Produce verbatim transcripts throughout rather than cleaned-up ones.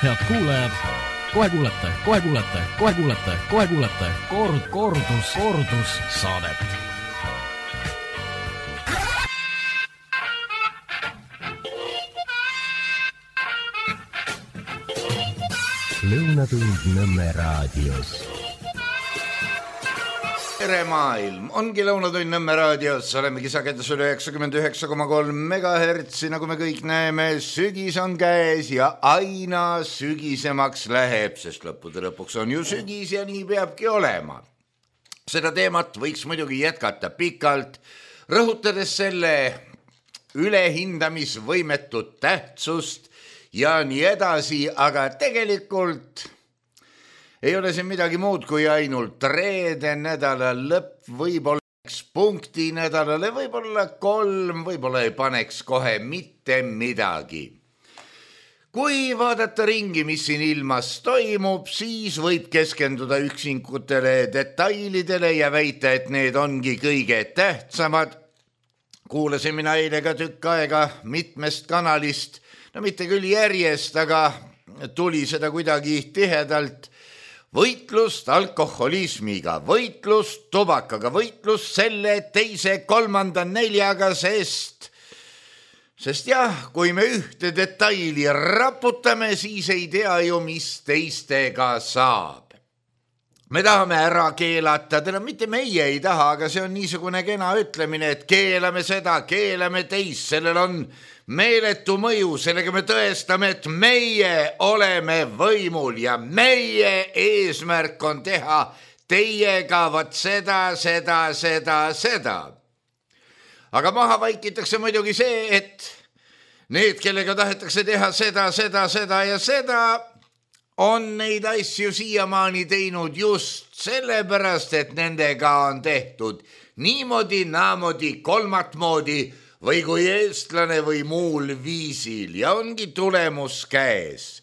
Head kuulajad, kohe kuulete, kohe kuulete, kohe kuulete, kohe kuulete kord, kordus, kordus saadet. Lõunatund Nõmme raadios. Tere maailm, ongi Lõunatund Nõmme raadios, olemegi sagedusel üheksakümmend üheksa koma kolm megahertsi, nagu me kõik näeme, sügis on käes ja aina sügisemaks läheb, sest lõppude lõpuks on ju sügis ja nii peabki olema. Seda teemat võiks muidugi jätkata pikalt, rõhutades selle ülehindamisvõimetut tähtsust ja nii edasi, aga tegelikult ei ole siin midagi muud kui ainult reede nädala lõpp, võib-olla üks punkti nädalale, võib-olla kolm, võib-olla ei paneks kohe mitte midagi. Kui vaadata ringi, mis siin ilmas toimub, siis võib keskenduda üksinkutele detailidele ja väita, et need ongi kõige tähtsamad. Kuulasin mina eile ka tükk aega mitmest kanalist, no mitte küll järjest, aga tuli seda kuidagi tihedalt. Võitlust alkoholismiga, võitlust tubakaga, võitlust selle teise, kolmanda, neljaga, sest, sest jah, kui me ühte detaili raputame, siis ei tea ju, mis teistega saab. Me tahame ära keelata, täna mitte meie ei taha, aga see on niisugune kena ütlemine, et keelame seda, keelame teist, sellel on meeletu mõju, sellega me tõestame, et meie oleme võimul ja meie eesmärk on teha teiega vat seda, seda, seda, seda. Aga maha vaikitakse muidugi see, et need, kellega tahetakse teha seda, seda, seda ja seda, on neid asju siiamaani teinud just sellepärast, et nendega on tehtud niimoodi, naamodi, kolmat moodi, või kui eestlane või muul viisil ja ongi tulemus käes.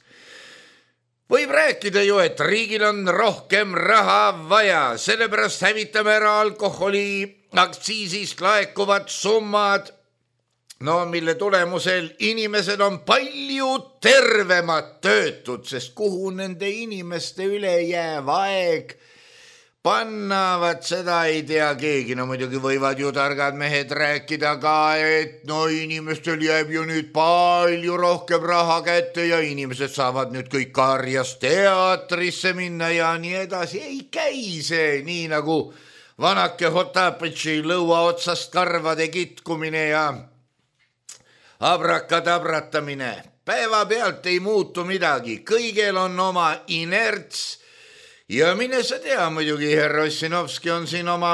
Võib rääkida ju, et riigil on rohkem raha vaja, sellepärast hävitame ära alkoholi aktsiisist laekuvad summad, no mille tulemusel inimesed on palju tervemad töötud, sest kuhu nende inimeste üle jääv aeg pannavad, seda ei tea keegi. No muidugi võivad ju targad mehed rääkida ka, et no inimestel jääb ju nüüd palju rohkem raha kätte ja inimesed saavad nüüd kõik karjas teatrisse minna ja nii edasi. Ei käi see nii nagu vanake Hotapetši lõua otsast karvade kitkumine ja abrakadabratamine. Päeva pealt ei muutu midagi, kõigel on oma inerts. Ja mine sa tea, muidugi härra Ossinovski on siin oma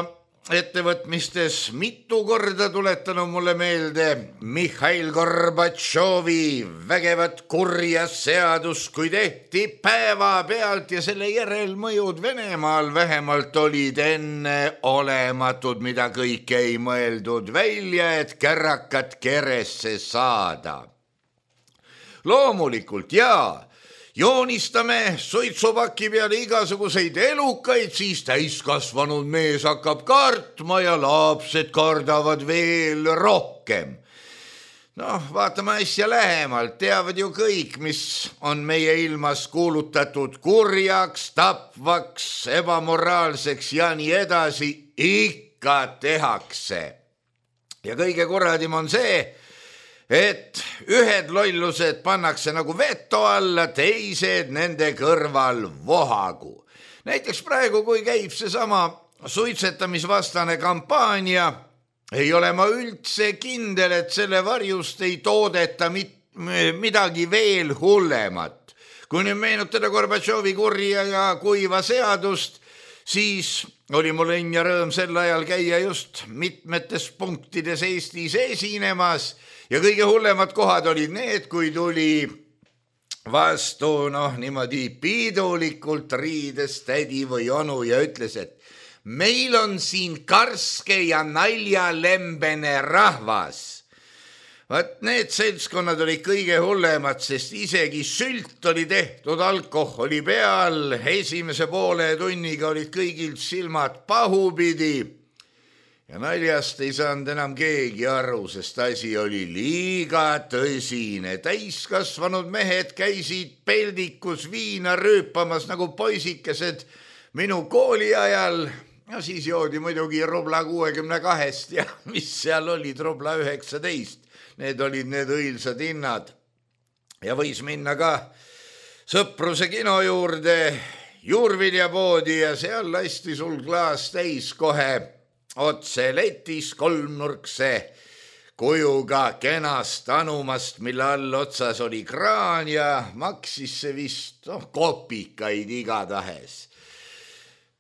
ettevõtmistes mitu korda tuletanud mulle meelde Mihhail Gorbatšovi vägevat kurja seadus, kui tehti päeva pealt ja selle järelmõjud Venemaal vähemalt olid enne olematud, mida kõik ei mõeldud välja, et kärrakat keresse saada. Loomulikult jaa, joonistame suitsupaki peale igasuguseid elukaid, siis täiskasvanud mees hakkab kartma ja lapsed kardavad veel rohkem. Noh, vaatame asja lähemalt, teavad ju kõik, mis on meie ilmas kuulutatud kurjaks, tapvaks, ebamoraalseks ja nii edasi, ikka tehakse. Ja kõige kuradim on see, et ühed lollused pannakse nagu veto alla, teised nende kõrval vohagu. Näiteks praegu, kui käib see sama suitsetamisvastane kampaania, ei ole ma üldse kindel, et selle varjust ei toodeta mit- midagi veel hullemat. Kui nüüd meenutada Gorbatšovi kurja ja kuiva seadust, siis oli mul õnn ja rõõm sel ajal käia just mitmetes punktides Eestis esinemas ja kõige hullemad kohad olid need, kui tuli vastu noh niimoodi piidulikult riides tädi või onu ja ütles, et meil on siin karske ja naljalembene rahvas. Vaat need seltskonnad olid kõige hullemad, sest isegi sült oli tehtud alkoholi peal, esimese poole tunniga olid kõigil silmad pahupidi ja naljast ei saanud enam keegi aru, sest asi oli liiga tõsine. Täiskasvanud mehed käisid peldikus viina rüüpamas nagu poisikesed minu kooli ajal. Ja siis joodi muidugi rubla kuuekümne kahest ja mis seal olid rubla üheksateist. Need olid need õilsad hinnad. Ja võis minna ka Sõpruse kino juurde, juurviljapoodi ja seal lasti sul klaas täis kohe otse letis kolmnurkse kujuga kenast anumast, mille all otsas oli kraan ja maksis see vist oh, kopikaid igatahes.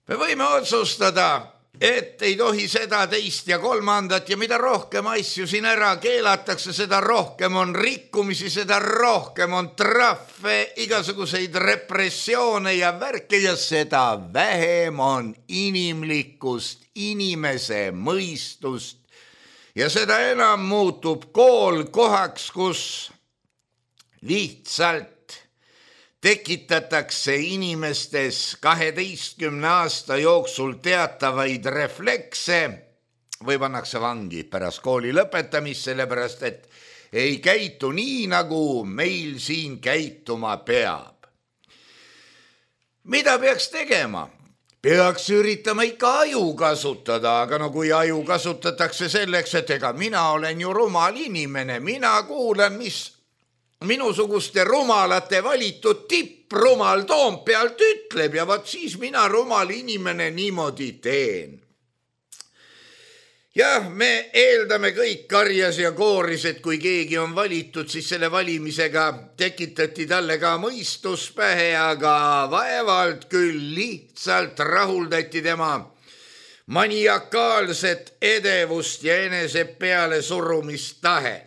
Me võime otsustada, et ei tohi seda, teist ja kolmandat ja mida rohkem asju siin ära keelatakse, seda rohkem on rikkumisi, seda rohkem on trahve, igasuguseid repressioone ja värke ja seda vähem on inimlikkust, inimese mõistust ja seda enam muutub kool kohaks, kus lihtsalt tekitatakse inimestes kaheteistkümne aasta jooksul teatavaid reflekse või pannakse vangi pärast kooli lõpetamist, sellepärast et ei käitu nii, nagu meil siin käituma peab. Mida peaks tegema? Peaks üritama ikka aju kasutada, aga no kui aju kasutatakse selleks, et ega mina olen ju rumal inimene, mina kuulan, mis minusuguste rumalate valitud tipprumal Toompealt ütleb ja vaat siis mina rumal inimene niimoodi teen. Jah, me eeldame kõik karjas ja kooris, et kui keegi on valitud, siis selle valimisega tekitati talle ka mõistus pähe, aga vaevalt küll lihtsalt rahuldati tema maniakaalset edevust ja enese peale surumistahet.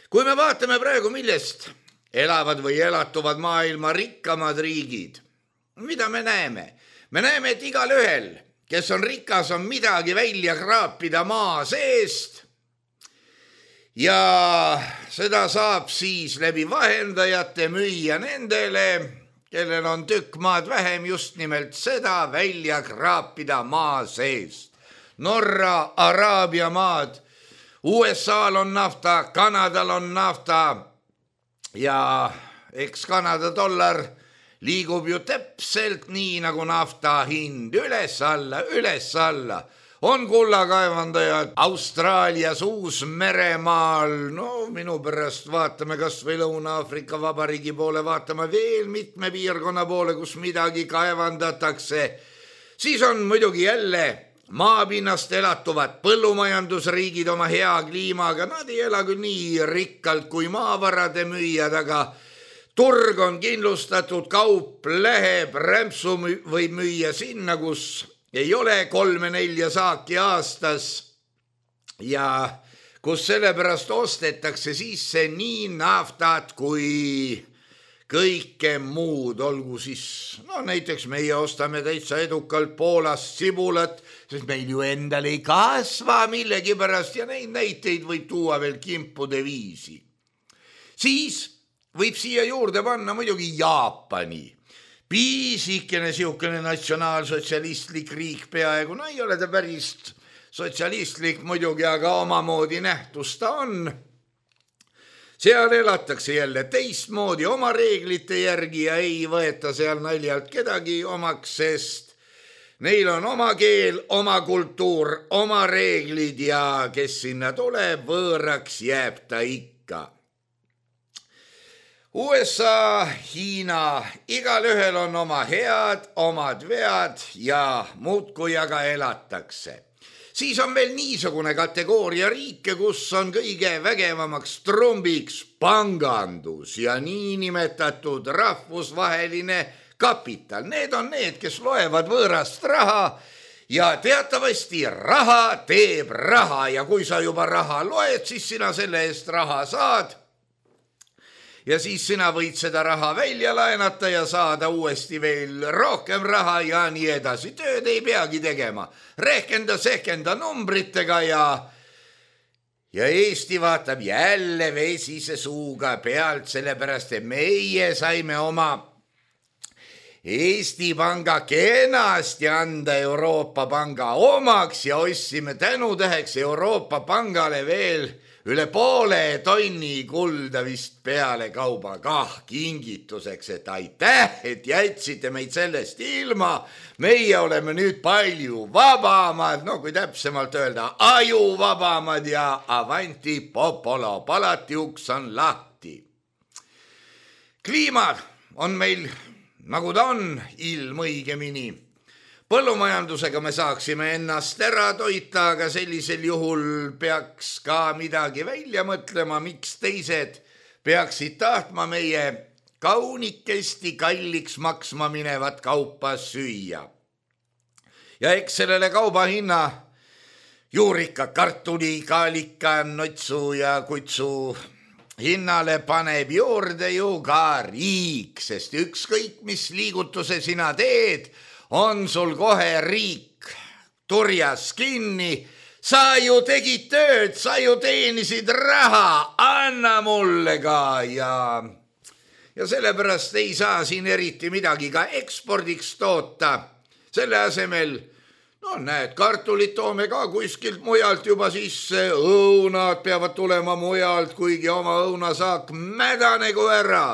Kui me vaatame praegu, millest elavad või elatuvad maailma rikkamad riigid, mida me näeme? Me näeme, et igal ühel, kes on rikas, on midagi välja kraapida maa seest ja seda saab siis läbi vahendajate müüa nendele, kellel on tükk maad vähem, just nimelt seda välja kraapida maa seest. Norra, Araabia maad, U S A-l on nafta, Kanadal on nafta ja eks Kanada dollar liigub ju täpselt nii, nagu nafta hind üles alla, üles alla. On kullakaevandajad Austraalias, Uus-Meremaal, no minu pärast vaatame kas või Lõuna-Aafrika Vabariigi poole, vaatame veel mitme piirkonna poole, kus midagi kaevandatakse. Siis on muidugi jälle maapinnast elatuvad põllumajandusriigid oma hea kliimaga, nad ei ela küll nii rikkalt kui maavarade müüjad, aga turg on kindlustatud, kaup läheb, rämpsu võib müüa sinna, kus ei ole kolme-nelja saaki aastas ja kus sellepärast ostetakse sisse nii naftat kui kõike muud, olgu siis, no näiteks meie ostame täitsa edukalt Poolast sibulat, sest meil ju endal ei kasva millegipärast ja neid näiteid võib tuua veel kimpude viisi. Siis võib siia juurde panna muidugi Jaapani. Piisikene siukene natsionaalsotsialistlik riik peaaegu, no ei ole ta päris sotsialistlik muidugi, aga omamoodi nähtus ta on. Seal elatakse jälle teistmoodi oma reeglite järgi ja ei võeta seal naljalt kedagi omaks, sest neil on oma keel, oma kultuur, oma reeglid ja kes sinna tuleb, võõraks jääb ta ikka. U S A, Hiina, igal ühel on oma head, omad vead ja muudkui aga elatakse. Siis on veel niisugune kategooria riike, kus on kõige vägevamaks trumbiks pangandus ja niinimetatud rahvusvaheline kapital. Need on need, kes loevad võõrast raha ja teatavasti raha teeb raha ja kui sa juba raha loed, siis sina selle eest raha saad. Ja siis sina võid seda raha välja laenata ja saada uuesti veel rohkem raha ja nii edasi. Tööd ei peagi tegema. Rehkenda, sehkenda numbritega ja, ja Eesti vaatab jälle vesise suuga pealt, sellepärast et meie saime oma Eesti Panga kenasti anda Euroopa Panga omaks ja ostsime tänutäheks Euroopa Pangale veel üle poole tonni kulda vist peale kauba kah kingituseks, et aitäh, et jätsite meid sellest ilma. Meie oleme nüüd palju vabamad, no kui täpsemalt öelda, ajuvabamad ja avanti popolo, palati uks on lahti. Kliima on meil, nagu ta on, ilm õigemini. Põllumajandusega me saaksime ennast ära toita, aga sellisel juhul peaks ka midagi välja mõtlema, miks teised peaksid tahtma meie kaunikesti kalliks maksma minevat kaupa süüa. Ja eks sellele kauba hinna juurika, kartuli, kaalika, notsu ja kutsu hinnale paneb juurde ju ka riik, sest ükskõik mis liigutuse sina teed, on sul kohe riik turjas kinni. Sa ju tegid tööd, sa ju teenisid raha, anna mulle ka ja, ja sellepärast ei saa siin eriti midagi ka ekspordiks toota. Selle asemel, no näed, kartulit toome ka kuskilt mujalt juba sisse, õunad peavad tulema mujalt, kuigi oma õunasaak mädanegu ära.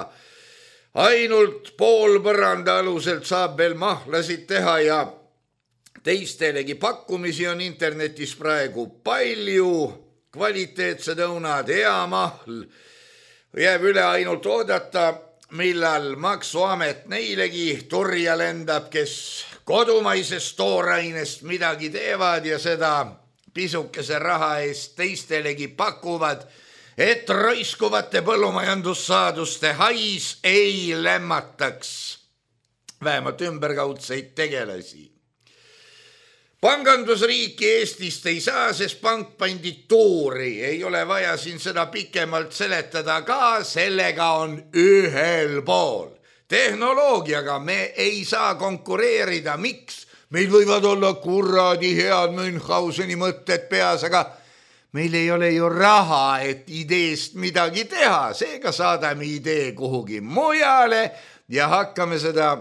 Ainult pool põranda aluselt saab veel mahlasid teha ja teistelegi pakkumisi on internetis praegu palju, kvaliteetsed õunad, hea mahl. Jääb üle ainult oodata, millal maksuamet neilegi turja lendab, kes kodumaisest toorainest midagi teevad ja seda pisukese raha eest teistelegi pakuvad, et roiskuvate põllumajandussaaduste hais ei lämmataks vähemalt ümberkaudseid tegelasi. Pangandusriiki Eestist ei saa, sest pank pandi tuuri. Ei ole vaja siin seda pikemalt seletada ka, sellega on ühel pool. Tehnoloogiaga me ei saa konkureerida. Miks? Meil võivad olla kuradi head Münchhauseni mõtted peas, aga meil ei ole ju raha, et ideest midagi teha. Seega saadame idee kuhugi mujale ja hakkame seda,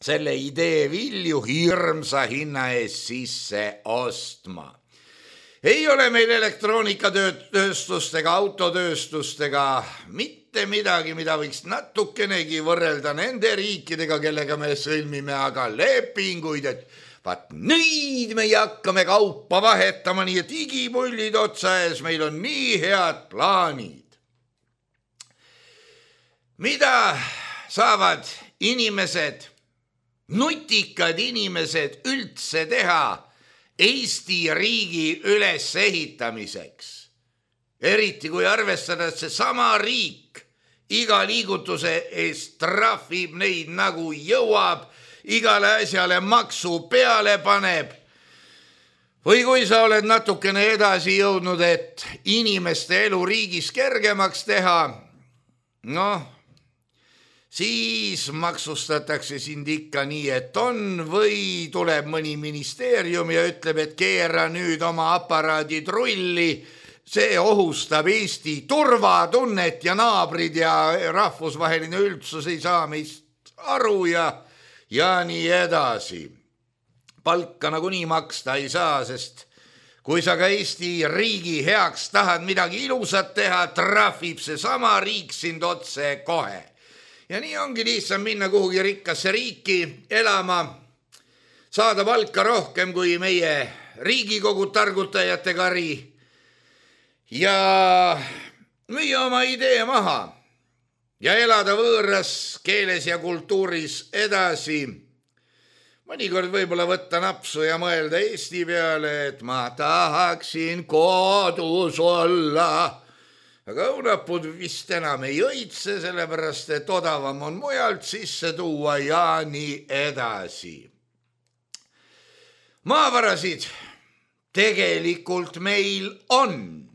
selle idee vilju hirmsa hinna eest sisse ostma. Ei ole meil elektroonikatööstust ega autotööstust ega mitte midagi, mida võiks natukenegi võrrelda nende riikidega, kellega me sõlmime aga lepinguid, et vaat nüüd me hakkame kaupa vahetama, nii et igipullid otsa ees, meil on nii head plaanid. Mida saavad inimesed, nutikad inimesed üldse teha Eesti riigi ülesehitamiseks? Eriti kui arvestada, et see sama riik iga liigutuse eest trahvib neid nagu jõuab, igale asjale maksu peale paneb. Või kui sa oled natukene edasi jõudnud, et inimeste elu riigis kergemaks teha, noh, siis maksustatakse sind ikka nii, et on, või tuleb mõni ministeerium ja ütleb, et keera nüüd oma aparaadid rulli, see ohustab Eesti turvatunnet ja naabrid ja rahvusvaheline üldsus ei saa meist aru ja ja nii edasi. Palka nagunii maksta ei saa, sest kui sa ka Eesti riigi heaks tahad midagi ilusat teha, trahvib see sama riik sind otse kohe. Ja nii ongi lihtsam minna kuhugi rikkasse riiki elama, saada palka rohkem kui meie Riigikogu targutajate kari ja müüa oma idee maha ja elada võõras keeles ja kultuuris edasi. Mõnikord võib-olla võtta napsu ja mõelda Eesti peale, et ma tahaksin kodus olla. Aga õunapud vist enam ei õitse, sellepärast et odavam on mujalt sisse tuua ja nii edasi. Maavarasid tegelikult meil on.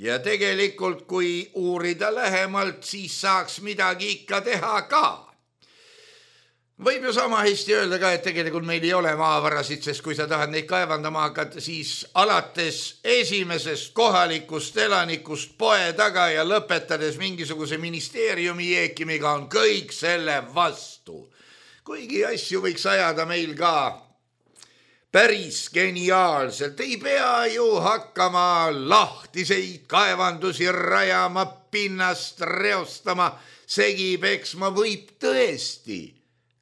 Ja tegelikult, kui uurida lähemalt, siis saaks midagi ikka teha ka. Võib ju sama hästi öelda ka, et tegelikult meil ei ole maavarasid, sest kui sa tahad neid kaevandama hakata, siis alates esimesest kohalikust elanikust poe taga ja lõpetades mingisuguse ministeeriumi jeekimiga on kõik selle vastu. kuigi asju võiks ajada meil ka päris geniaalselt. Ei pea ju hakkama lahtiseid kaevandusi rajama, pinnast reostama, segi peksma, võib tõesti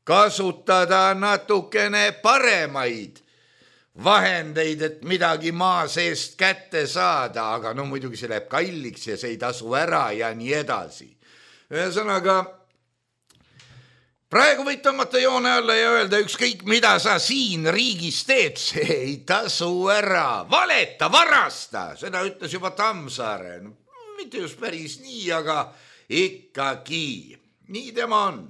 kasutada natukene paremaid vahendeid, et midagi maa seest kätte saada, aga no muidugi see läheb kalliks ja see ei tasu ära ja nii edasi. Ühesõnaga, praegu võid tõmmata joone alla ja öelda ükskõik, mida sa siin riigis teed, see ei tasu ära. Valeta, varasta, seda ütles juba Tammsaare. No, mitte just päris nii, aga ikkagi. Nii tema on.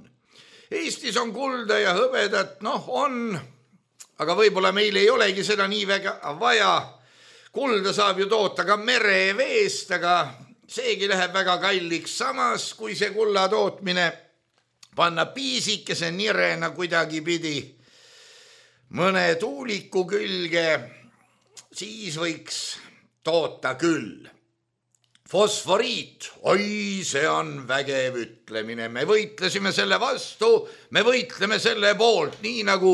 Eestis on kulda ja hõbedat, noh on, aga võib-olla meil ei olegi seda nii väga vaja. Kulda saab ju toota ka mereveest, aga seegi läheb väga kalliks. Samas, kui see kulla tootmine panna piisikese nirena kuidagi pidi mõne tuuliku külge, siis võiks toota küll. Fosforiit, oi, see on vägev ütlemine. Me võitlesime selle vastu, me võitleme selle poolt, nii nagu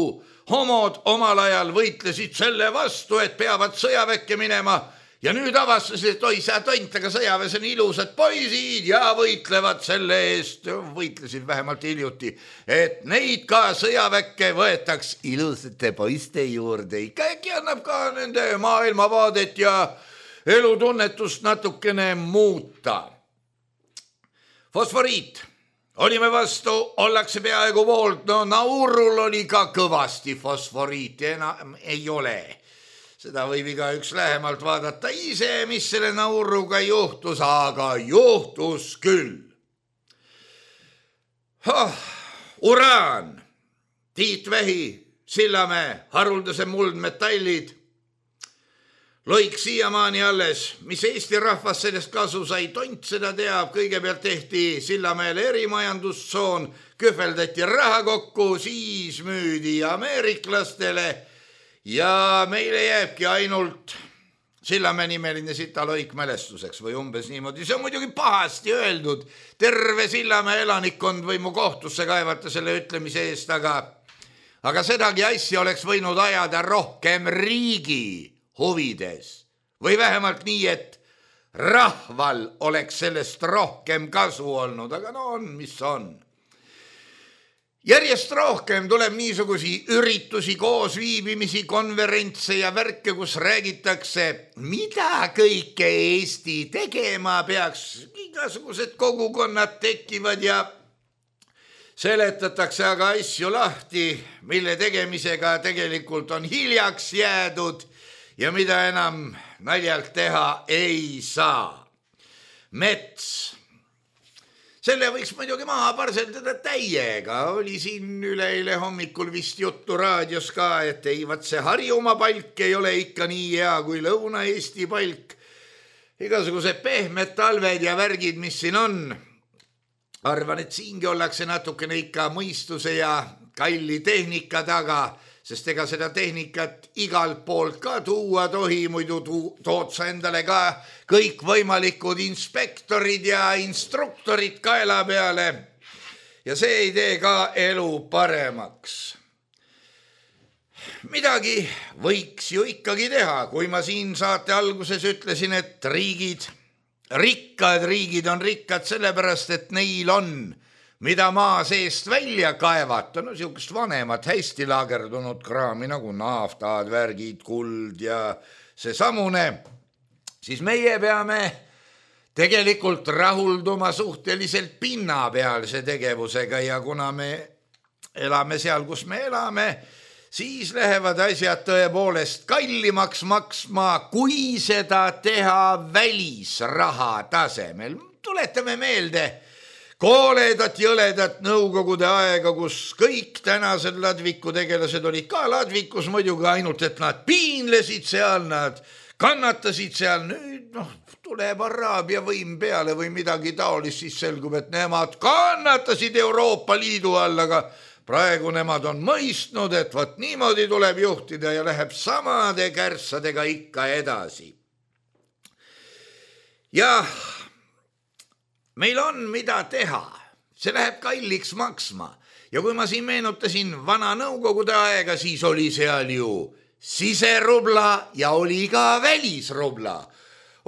homod omal ajal võitlesid selle vastu, et peavad sõjaväkke minema. Ja nüüd avastasid, et oi, sa tont, aga sõjaväes on ilusad poisid ja võitlevad selle eest, võitlesid vähemalt hiljuti, et neid ka sõjaväkke võetaks ilusate poiste juurde. Äkki annab ka nende maailmavaadet ja elutunnetust natukene muuta. Fosforiit. Olime vastu, ollakse peaaegu poolt, no Naurul oli ka kõvasti fosforiiti, enam ei ole. Seda võib iga üks lähemalt vaadata ise, mis selle Nauruga juhtus, aga juhtus küll. Oh, uraan, Tiit Vähi, Sillamäe, haruldase muldmetallid, loik siiamaani alles, mis Eesti rahvas sellest kasu sai, tont seda teab, kõigepealt tehti Sillamäele erimajandustsoon, kühveldati raha kokku, siis müüdi ameeriklastele ja meile jääbki ainult Sillamäe nimeline sitaloik mälestuseks või umbes niimoodi. See on muidugi pahasti öeldud, terve Sillamäe elanikkond või mu kohtusse kaevata selle ütlemise eest, aga, aga sedagi asja oleks võinud ajada rohkem riigi huvides või vähemalt nii, et rahval oleks sellest rohkem kasu olnud, aga no on, mis on. Järjest rohkem tuleb niisugusi üritusi, koosviibimisi, konverentse ja värke, kus räägitakse, mida kõike Eesti tegema peaks. Igasugused kogukonnad tekivad ja seletatakse aga asju lahti, mille tegemisega tegelikult on hiljaks jäädud ja mida enam naljalt teha ei saa. Mets. Selle võiks muidugi maha parseldada täiega. Oli siin üleeile hommikul vist juttu raadios ka, et ei, vaat see Harjumaa palk ei ole ikka nii hea kui Lõuna-Eesti palk. Igasugused pehmed talved ja värgid, mis siin on. Arvan, et siingi ollakse natukene ikka mõistuse ja kalli tehnika taga, sest ega seda tehnikat igalt poolt ka tuua tohi, muidu tood sa endale ka kõik võimalikud inspektorid ja instruktorid kaela peale ja see ei tee ka elu paremaks. Midagi võiks ju ikkagi teha, kui ma siin saate alguses ütlesin, et riigid, rikkad riigid on rikkad sellepärast, et neil on mida maa seest välja kaevata, no siukest vanemat hästi laagerdunud kraami nagu naftad, värgid, kuld ja see samune, siis meie peame tegelikult rahulduma suhteliselt pinnapealse tegevusega ja kuna me elame seal, kus me elame, siis lähevad asjad tõepoolest kallimaks maksma, kui seda teha välisraha tasemel. Tuletame meelde kooledat jõledat nõukogude aega, kus kõik tänased ladviku tegelased olid ka ladvikus muidugi, ainult et nad piinlesid seal, nad kannatasid seal. Nüüd noh, tuleb Araabia võim peale või midagi taolist, siis selgub, et nemad kannatasid Euroopa Liidu all, aga praegu nemad on mõistnud, et võt niimoodi tuleb juhtida ja läheb samade kärssadega ikka edasi. Jah, meil on mida teha, see läheb kalliks maksma ja kui ma siin meenutasin vana nõukogude aega, siis oli seal ju siserubla ja oli ka välisrubla.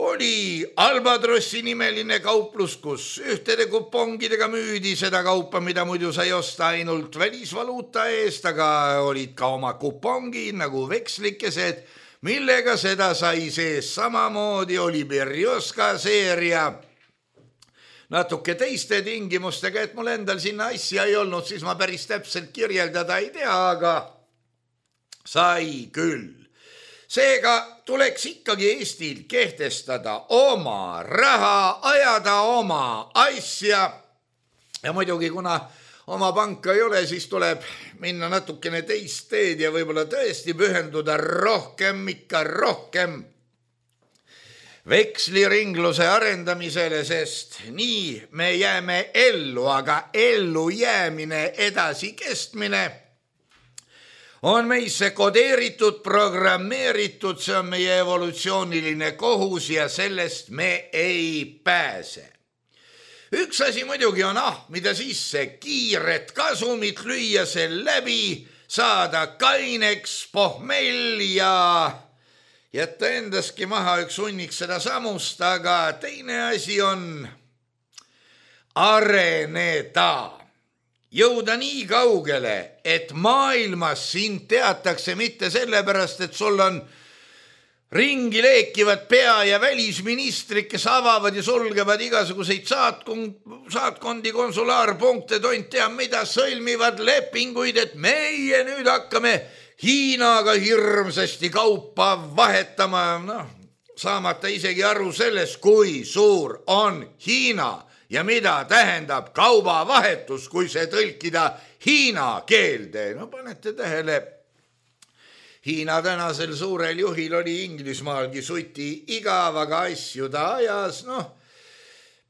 Oli Albatrossi nimeline kauplus, kus ühtede kupongidega müüdi seda kaupa, mida muidu sai osta ainult välisvaluuta eest, aga olid ka oma kupongid nagu vekslikesed, millega seda sai sees. Samamoodi oli Berjoska seeria natuke teiste tingimustega, et mul endal sinna asja ei olnud, siis ma päris täpselt kirjeldada ei tea, aga sai küll. Seega tuleks ikkagi Eestil kehtestada oma raha, ajada oma asja ja muidugi kuna oma panka ei ole, siis tuleb minna natukene teist teed ja võib-olla tõesti pühenduda rohkem, ikka rohkem veksliringluse arendamisele, sest nii me jääme ellu, aga ellu jäämine, edasi kestmine on meisse kodeeritud, programmeeritud, see on meie evolutsiooniline kohus ja sellest me ei pääse. Üks asi muidugi on ahmida sisse kiiret kasumit, lüüa see läbi, saada kaineks, pohmell ja jätta endaski maha üks hunnik seda samust, aga teine asi on areneda. Jõuda nii kaugele, et maailmas sind teatakse mitte sellepärast, et sul on ringi leekivad pea- ja välisministrid, kes avavad ja sulgevad igasuguseid saatkond, saatkondi, konsulaarpunkte, tont teab mida, sõlmivad lepinguid, et meie nüüd hakkame Hiinaga hirmsasti kaupa vahetama, noh, saamata isegi aru sellest, kui suur on Hiina ja mida tähendab kaubavahetus, kui see tõlkida Hiina keelde. No panete tähele, Hiina tänasel suurel juhil oli Inglismaalgi suti igav, aga asju ta ajas. Noh,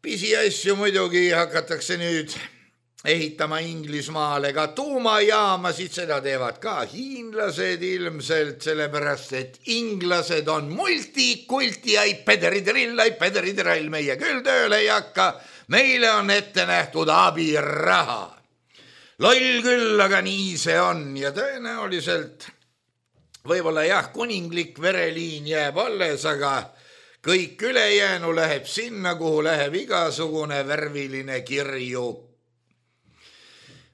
pisiasju muidugi hakatakse nüüd ehitama Inglismaale ka tuumajaamasid, seda teevad ka hiinlased ilmselt, sellepärast et inglased on multikulti, ai pederitrill, ai pederitrall, meie küll tööle ei hakka, meile on ette nähtud abiraha. Loll küll, aga nii see on ja tõenäoliselt võib-olla jah, kuninglik vereliin jääb alles, aga kõik ülejäänu läheb sinna, kuhu läheb igasugune värviline kirju.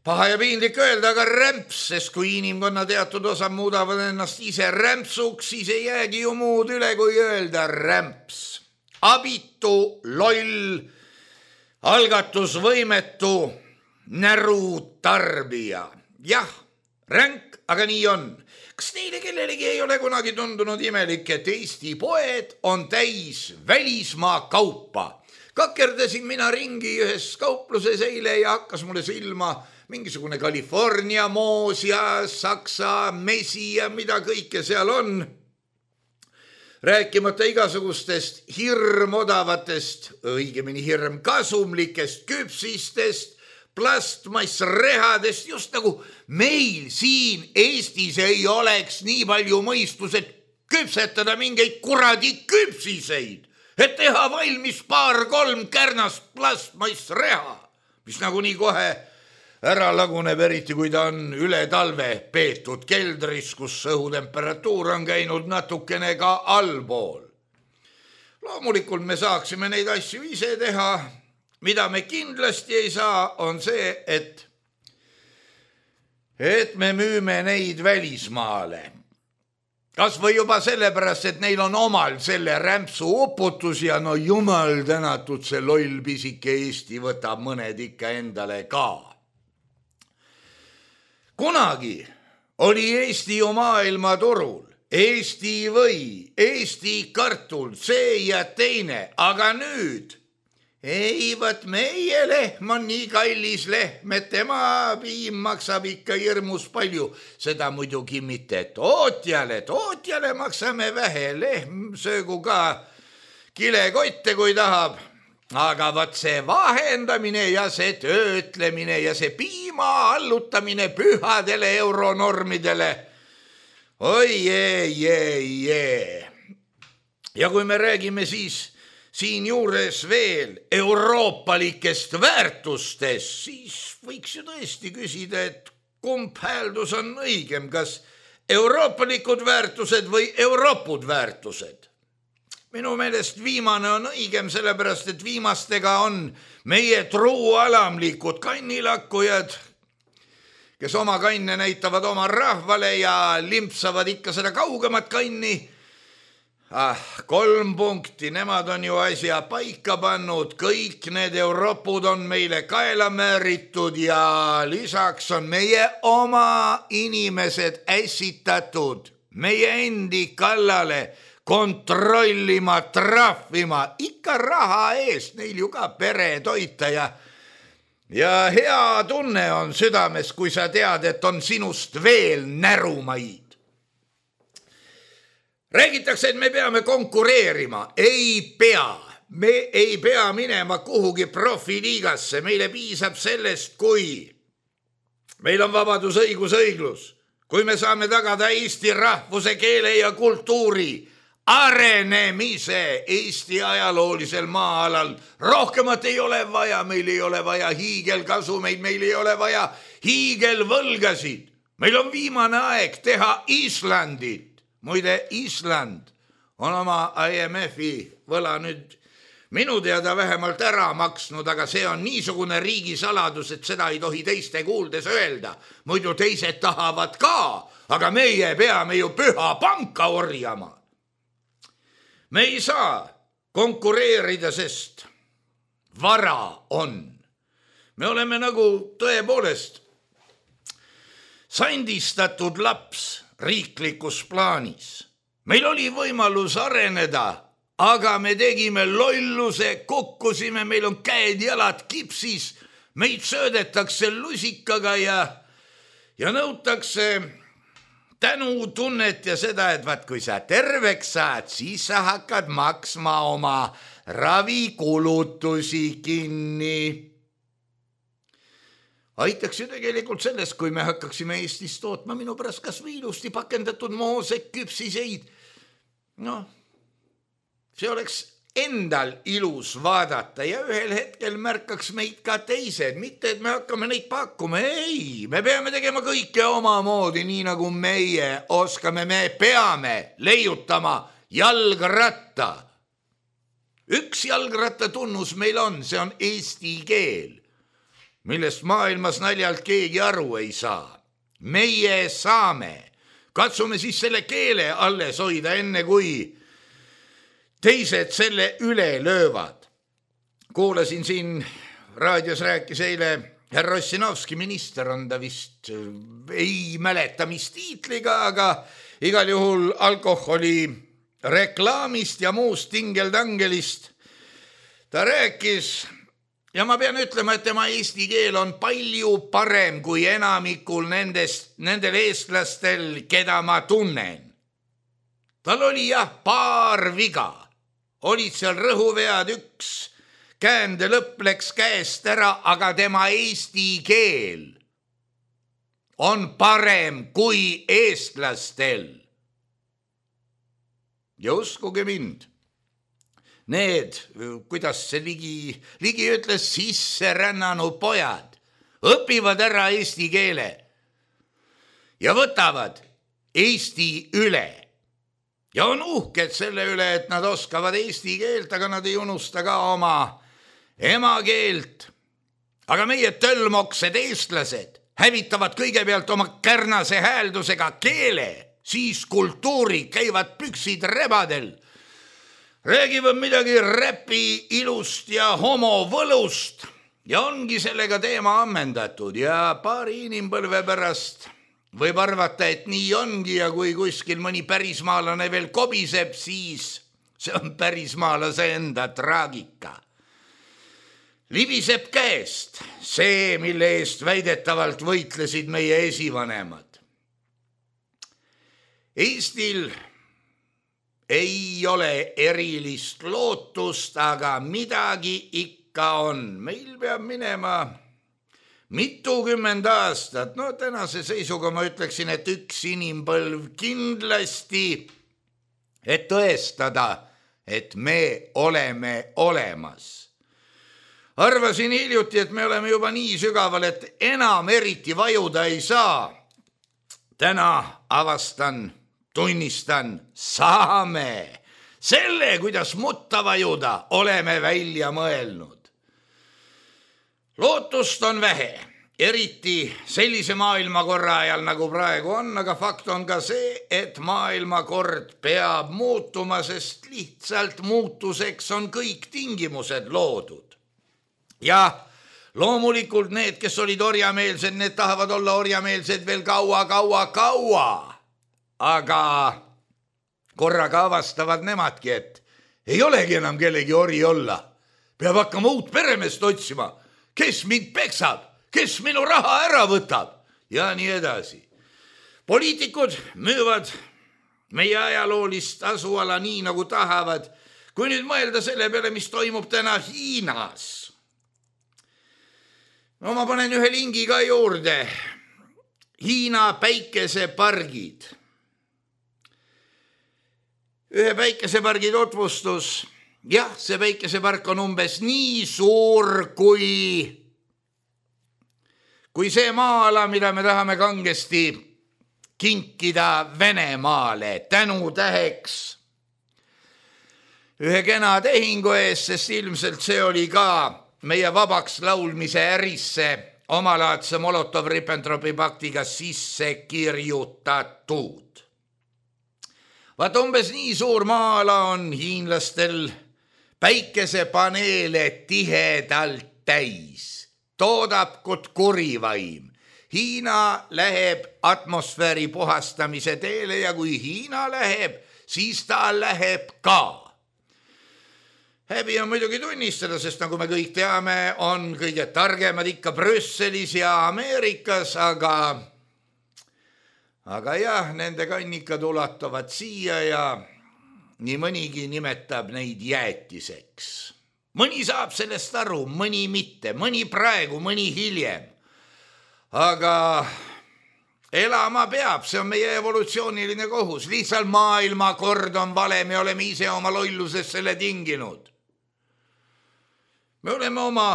Paha ja piinlik öelda, aga rämps, sest kui inimkonna teatud osa muudavad ennast ise rämpsuks, siis ei jäägi ju muud üle, kui öelda rämps. Abitu, loll, algatusvõimetu, näru tarbija. Jah, ränk, aga nii on. Kas teile kellelegi ei ole kunagi tundunud imelik, et Eesti poed on täis välismaa kaupa? Kakerdasin mina ringi ühes kaupluses eile ja hakkas mulle silma mingisugune California moos ja Saksa mesi ja mida kõike seal on. Rääkimata igasugustest hirmodavatest, õigemini hirm kasumlikest küpsistest, plastmassrehadest, just nagu meil siin Eestis ei oleks nii palju mõistused küpsetada mingeid kuradi küpsiseid, et teha valmis paar-kolm kärnast plastmassreha, mis nagu nii kohe ära laguneb, eriti kui ta on üle talve peetud keldris, kus õhutemperatuur on käinud natukene ka allpool. Loomulikult me saaksime neid asju ise teha. Mida me kindlasti ei saa, on see, et, et me müüme neid välismaale. Kas või juba sellepärast, et neil on omal selle rämpsu uputus ja no jumal tänatud, see loll pisike Eesti võtab mõned ikka endale ka. Kunagi oli Eesti ju maailmaturul, Eesti või, Eesti kartul, see ja teine, aga nüüd ei, võt meie lehm on nii kallis lehm, et tema piim maksab ikka hirmus palju. Seda muidugi mitte tootjale, tootjale maksame vähe, lehm söögu ka kilekotte, kui tahab. Aga võt see vahendamine ja see töötlemine ja see piima allutamine pühadele euronormidele. Oi, jee, jee, jee. Ja kui me räägime siis siinjuures veel euroopalikest väärtustest, siis võiks ju tõesti küsida, et kumb hääldus on õigem, kas euroopalikud väärtused või euroopud väärtused. Minu meelest viimane on õigem, sellepärast et viimastega on meie truualamlikud kannilakkujad, kes oma kanne näitavad oma rahvale ja limpsavad ikka seda kaugemat kanni. Ah, kolm punkti, nemad on ju asja paika pannud, kõik need euroopud on meile kaela määritud ja lisaks on meie oma inimesed ässitatud meie endi kallale kontrollima, trahvima, ikka raha eest, neil ju ka pere toita ja ja hea tunne on südames, kui sa tead, et on sinust veel närumaid. Räägitakse, et me peame konkureerima. Ei pea. Me ei pea minema kuhugi profiliigasse. Meile piisab sellest, kui meil on vabadus, õigus, õiglus. Kui me saame tagada Eesti rahvuse, keele ja kultuuri arenemise Eesti ajaloolisel maa-alal. Rohkemat ei ole vaja. Meil ei ole vaja hiigelkasumeid. Meil ei ole vaja hiigelvõlgasid. Meil on viimane aeg teha Islandit. Muide, Island on oma I M F-i võla nüüd minu teada vähemalt ära maksnud, aga see on niisugune riigisaladus, et seda ei tohi teiste kuuldes öelda. Muidu teised tahavad ka, aga meie peame ju püha panka orjama. Me ei saa konkureerida, sest vara on. Me oleme nagu tõepoolest sandistatud laps riiklikus plaanis. Meil oli võimalus areneda, aga me tegime lolluse, kukkusime, meil on käed, jalad kipsis, meid söödetakse lusikaga ja, ja nõutakse tänutunnet ja seda, et vaat kui sa terveks saad, siis sa hakkad maksma oma ravikulutusi kinni. Aitaks ju tegelikult sellest, kui me hakkaksime Eestis tootma minu pärast kas või ilusti pakendatud moosek, küpsiseid. No, see oleks endal ilus vaadata ja ühel hetkel märkaks meid ka teised. Mitte, et me hakkame neid pakkuma. Ei, me peame tegema kõike omamoodi, nii nagu meie oskame. Me peame leiutama jalgratta. Üks jalgratta tunnus meil on, see on eesti keel, millest maailmas naljalt keegi aru ei saa. Meie saame. Katsume siis selle keele alles hoida, enne kui teised selle üle löövad. Kuulasin siin, raadios rääkis eile härra Ossinovski, minister on ta vist, ei mäleta mis tiitliga, aga igal juhul alkoholi reklaamist ja muust tingeltangelist. Ta rääkis. Ja ma pean ütlema, et tema eesti keel on palju parem kui enamikul nendest, nendel eestlastel, keda ma tunnen. Tal oli jah paar viga. Olid seal rõhuvead, üks käände lõpp läks käest ära, aga tema eesti keel on parem kui eestlastel. Ja uskuge mind. Need, kuidas see ligi, ligi ütles, sisse rännanud pojad õpivad ära eesti keele ja võtavad Eesti üle. Ja on uhked selle üle, et nad oskavad eesti keelt, aga nad ei unusta ka oma emakeelt. Aga meie tölmoksed eestlased hävitavad kõigepealt oma kärnase hääldusega keele, siis kultuuri, käivad püksid rebadel. Räägivad midagi räpi ilust ja homovõlust ja ongi sellega teema ammendatud ja paari inimpõlve pärast võib arvata, et nii ongi ja kui kuskil mõni pärismaalane veel kobiseb, siis see on pärismaalase enda traagika. Libiseb käest see, mille eest väidetavalt võitlesid meie esivanemad. Eestil ei ole erilist lootust, aga midagi ikka on. Meil peab minema mitukümmend aastat. No tänase seisuga ma ütleksin, et üks inimpõlv kindlasti, et tõestada, et me oleme olemas. Arvasin hiljuti, et me oleme juba nii sügaval, et enam eriti vajuda ei saa. Täna avastan, tunnistan, saame. Selle, kuidas mutta vajuda, oleme välja mõelnud. Lootust on vähe, eriti sellise maailmakorra ajal, nagu praegu on, aga fakt on ka see, et maailmakord peab muutuma, sest lihtsalt muutuseks on kõik tingimused loodud. Ja loomulikult need, kes olid orjameelsed, need tahavad olla orjameelsed veel kaua, kaua, kaua. Aga korraga avastavad nemadki, et ei olegi enam kellegi ori olla. Peab hakkama uut peremeest otsima. Kes mind peksab? Kes minu raha ära võtab? Ja nii edasi. Poliitikud müüvad meie ajaloolist asuala nii, nagu tahavad. Kui nüüd mõelda selle peale, mis toimub täna Hiinas. No ma panen ühe lingi ka juurde. Hiina päikesepargid. Ühe päikesepargi tutvustus. Jah, see päikesepark on umbes nii suur kui, kui see maa-ala, mida me tahame kangesti kinkida Venemaale tänutäheks ühe kena tehingu ees, sest ilmselt see oli ka meie vabaks laulmise ärisse omalaadse Molotov-Ribbentropi paktiga sisse kirjutatud. Vaat umbes nii suur maa-ala on hiinlastel päikesepaneele tihedalt täis. Toodab kut kurivaim. Hiina läheb atmosfääri puhastamise teele ja kui Hiina läheb, siis ta läheb ka. Häbi on muidugi tunnistada, sest nagu me kõik teame, on kõige targemad ikka Brüsselis ja Ameerikas, aga, aga jah, nende kannikad ulatuvad siia ja nii mõnigi nimetab neid jäätiseks. Mõni saab sellest aru, mõni mitte, mõni praegu, mõni hiljem. Aga elama peab, see on meie evolutsiooniline kohus. Lihtsalt maailmakord on vale, me oleme ise oma lolluses selle tinginud. Me oleme oma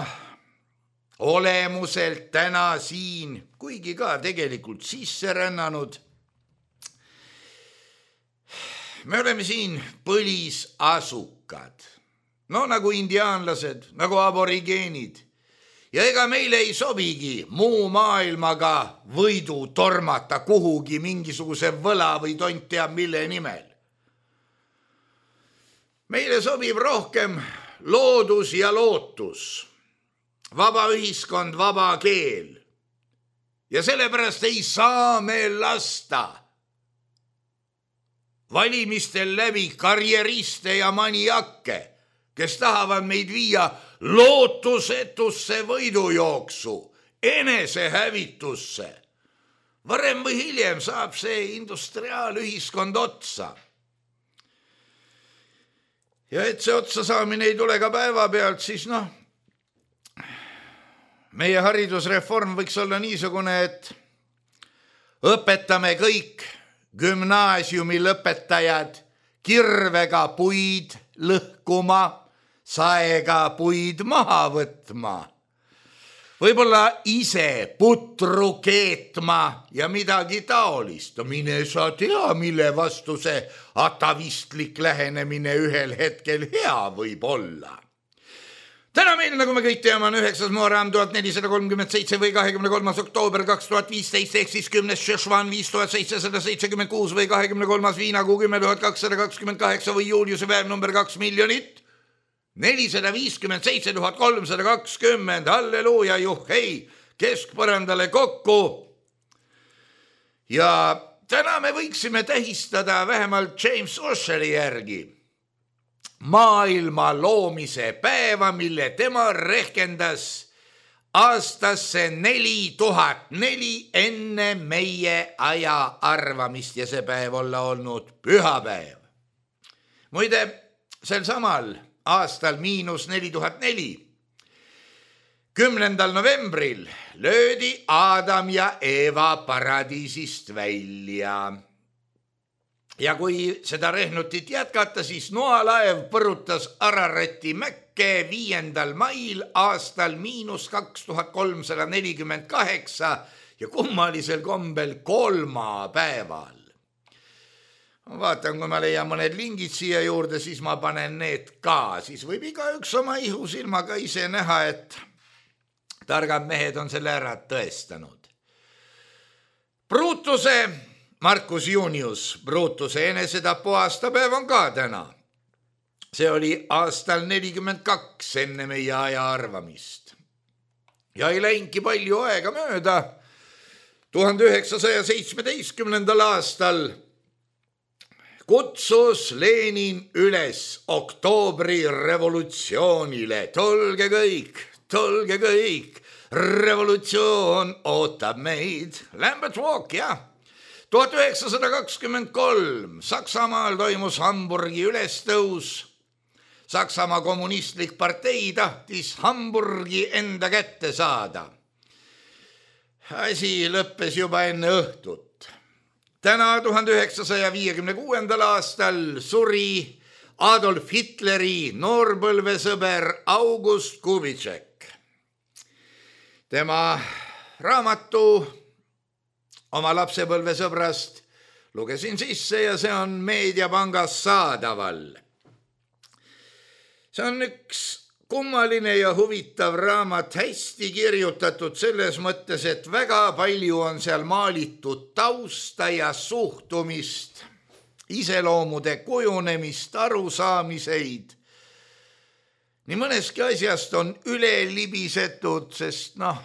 olemuselt täna siin, kuigi ka tegelikult sisse rännanud. Me oleme siin põlisasukad, no nagu indiaanlased, nagu aborigeenid. Ja ega meile ei sobigi muu maailmaga võidu tormata kuhugi mingisuguse võla või tont teab mille nimel. Meile sobib rohkem loodus ja lootus, vaba ühiskond, vaba keel. Ja sellepärast ei saa me lasta valimistel läbi karjeriste ja maniakke, kes tahavad meid viia lootusetusse võidujooksu, enesehävitusse. Varem või hiljem saab see industriaalühiskond otsa. Ja et see otsa saamine ei tule ka päeva pealt, siis noh, meie haridusreform võiks olla niisugune, et õpetame kõik gümnaasiumi lõpetajad kirvega puid lõhkuma, saega puid maha võtma, võib-olla ise putru keetma ja midagi taolist. Mine sa tea, mille vastu see atavistlik lähenemine ühel hetkel hea võib olla. Täna meil, nagu me kõik teame, on üheksas Muharram tuhat nelisada kolmkümmend seitse või kahekümne kolmas oktoober kaks tuhat viisteist ehk siis kümnes Šešvan viis tuhat seitsesada seitsekümmend kuus või kahekümne kolmas Viinakuu kümme tuhat kakssada kakskümmend kaheksa või Juliuse päev number kaks miljonit nelisada viiskümmend seitse tuhat kolmsada kakskümmend. Halleluuja, juhhei, keskpõrandale kokku. Ja täna me võiksime tähistada vähemalt James Usheri järgi maailma loomise päeva, mille tema rehkendas aastasse neli tuhat neli enne meie aja arvamist ja see päev olla olnud pühapäev. Muide, sel samal aastal miinus neli tuhat neli, kümnendal novembril löödi Adam ja Eva paradiisist välja. ja kui seda rehnutit jätkata, siis noalaev põrutas Ararati mäkke viiendal mail aastal miinus kaks tuhat kolmsada nelikümmend kaheksa ja kummalisel kombel kolmapäeval. Vaatan, kui ma leian mõned lingid siia juurde, siis ma panen need ka. Siis võib iga üks oma ihusilmaga ise näha, et targad mehed on selle ära tõestanud. Brutuse, Marcus Junius, Brutuse enesetapu aastapäev on ka täna. See oli aastal nelikümmend kaks enne meie aja arvamist. Ja ei läinki palju aega mööda. tuhande üheksasaja seitsmeteistkümnendal aastal kutsus Lenin üles oktoobri revolutsioonile. Tulge kõik, tulge kõik, revolutsioon ootab meid. Lambert Walk, jah. tuhat üheksasada kakskümmend kolm Saksamaal toimus Hamburgi ülestõus. Saksamaa kommunistlik partei tahtis Hamburgi enda kätte saada. Asi lõppes juba enne õhtut. Täna tuhande üheksasaja viiekümne kuuendal aastal suri Adolf Hitleri noorpõlvesõber August Kubitšek. Tema raamatu oma lapsepõlvesõbrast lugesin sisse ja see on Meediapangas saadaval. See on üks kummaline ja huvitav raamat, hästi kirjutatud selles mõttes, et väga palju on seal maalitud tausta ja suhtumist, iseloomude kujunemist, arusaamiseid. Nii mõneski asjast on üle libisetud, sest noh,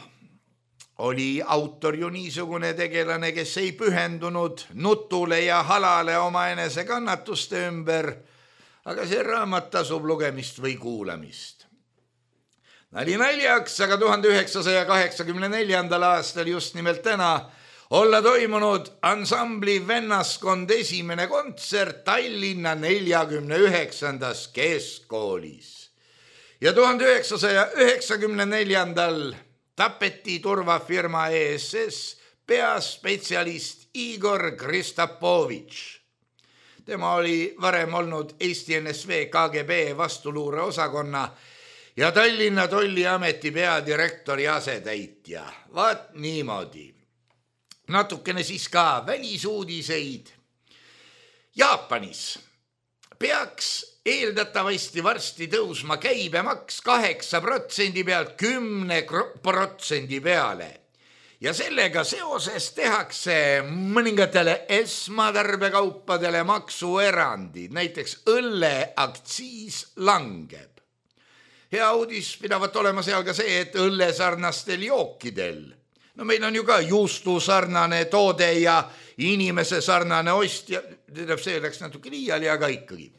oli autor ju niisugune tegelane, kes ei pühendunud nutule ja halale oma enese kannatuste ümber, aga see raamat tasub lugemist või kuulamist. Nali naljaks, aga tuhande üheksasaja kaheksakümne neljandal aastal just nimelt täna olla toimunud ansambli Vennaskond esimene kontsert Tallinna neljakümne üheksandas keskkoolis. Ja tuhande üheksasaja üheksakümne neljandal tapeti turvafirma E S S peaspetsialist Igor Kristapovitš. Tema oli varem olnud Eesti N S V K G B vastuluure osakonna ja Tallinna Tolliameti peadirektori asetäitja. Vaat niimoodi. Natukene siis ka välisuudiseid. Jaapanis peaks eeldatavasti varsti tõusma käibemaks kaheksa protsendi pealt kümne protsendi peale. Ja sellega seoses tehakse mõningatele esmatarbekaupadele maksuerandid, näiteks õlle aktsiis langeb. Hea uudis pidavat olema seal ka see, et õlle sarnastel jookidel. No meil on ju ka juustu sarnane toode ja inimese sarnane ost ja see läks natuke liiali, aga ikkagi.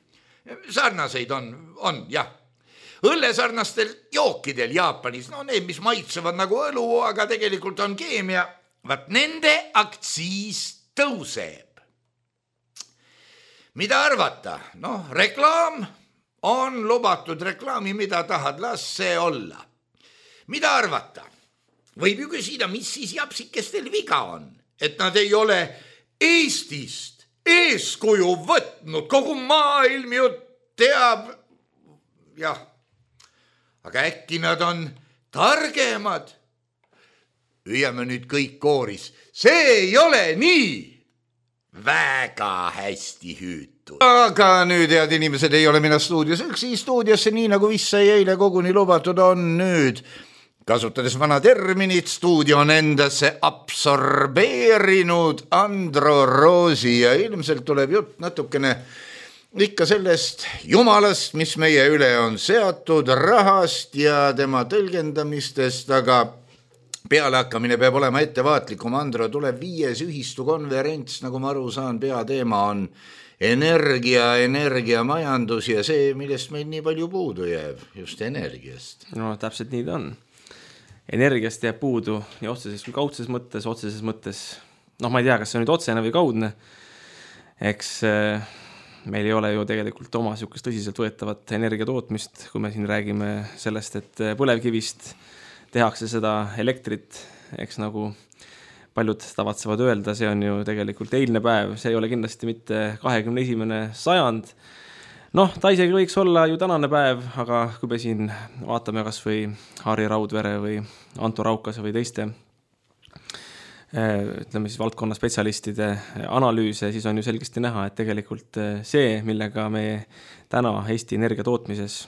Sarnaseid on, on, jah. Õlle sarnastel jookidel Jaapanis, no need, mis maitsevad nagu õlu, aga tegelikult on keemia, vaat nende aktsiis tõuseb. Mida arvata? No, reklaam on lubatud reklaami, mida tahad, las see olla. Mida arvata? Võib ju küsida, mis siis japsikestel viga on, et nad ei ole Eestist eeskuju võtnud, kogu maailm ju teab, jah, aga äkki nad on targemad. Hüüame nüüd kõik kooris, see ei ole nii. Väga hästi hüütud. Aga nüüd, head inimesed, ei ole mina stuudios üksi stuudiosse, nii nagu vist sai eile koguni lubatud on nüüd. Kasutades vana terminit, stuudio on endasse absorbeerinud Andro Roosi ja ilmselt tuleb jutt natukene ikka sellest jumalast, mis meie üle on seatud, rahast ja tema tõlgendamistest, aga pealehakkamine peab olema ettevaatlikum. Andro, tuleb viies ühistukonverents, nagu ma aru saan, peateema on energia, energiamajandus ja see, millest meil nii palju puudu jääb, just energiast. No täpselt nii ta on. Energiast jääb puudu nii otseses kui kaudses mõttes, otseses mõttes, noh, ma ei tea, kas see on nüüd otsene või kaudne, eks meil ei ole ju tegelikult oma sihukest tõsiselt võetavat energiatootmist, kui me siin räägime sellest, et põlevkivist tehakse seda elektrit, eks nagu paljud tavatsevad öelda, see on ju tegelikult eilne päev, see ei ole kindlasti mitte kahekümne esimene sajand. Noh, ta isegi võiks olla ju tänane päev, aga kui me siin vaatame kas või Harri Raudvere või Anto Raukase või teiste ütleme siis valdkonna spetsialistide analüüse, siis on ju selgesti näha, et tegelikult see, millega me täna Eesti energia tootmises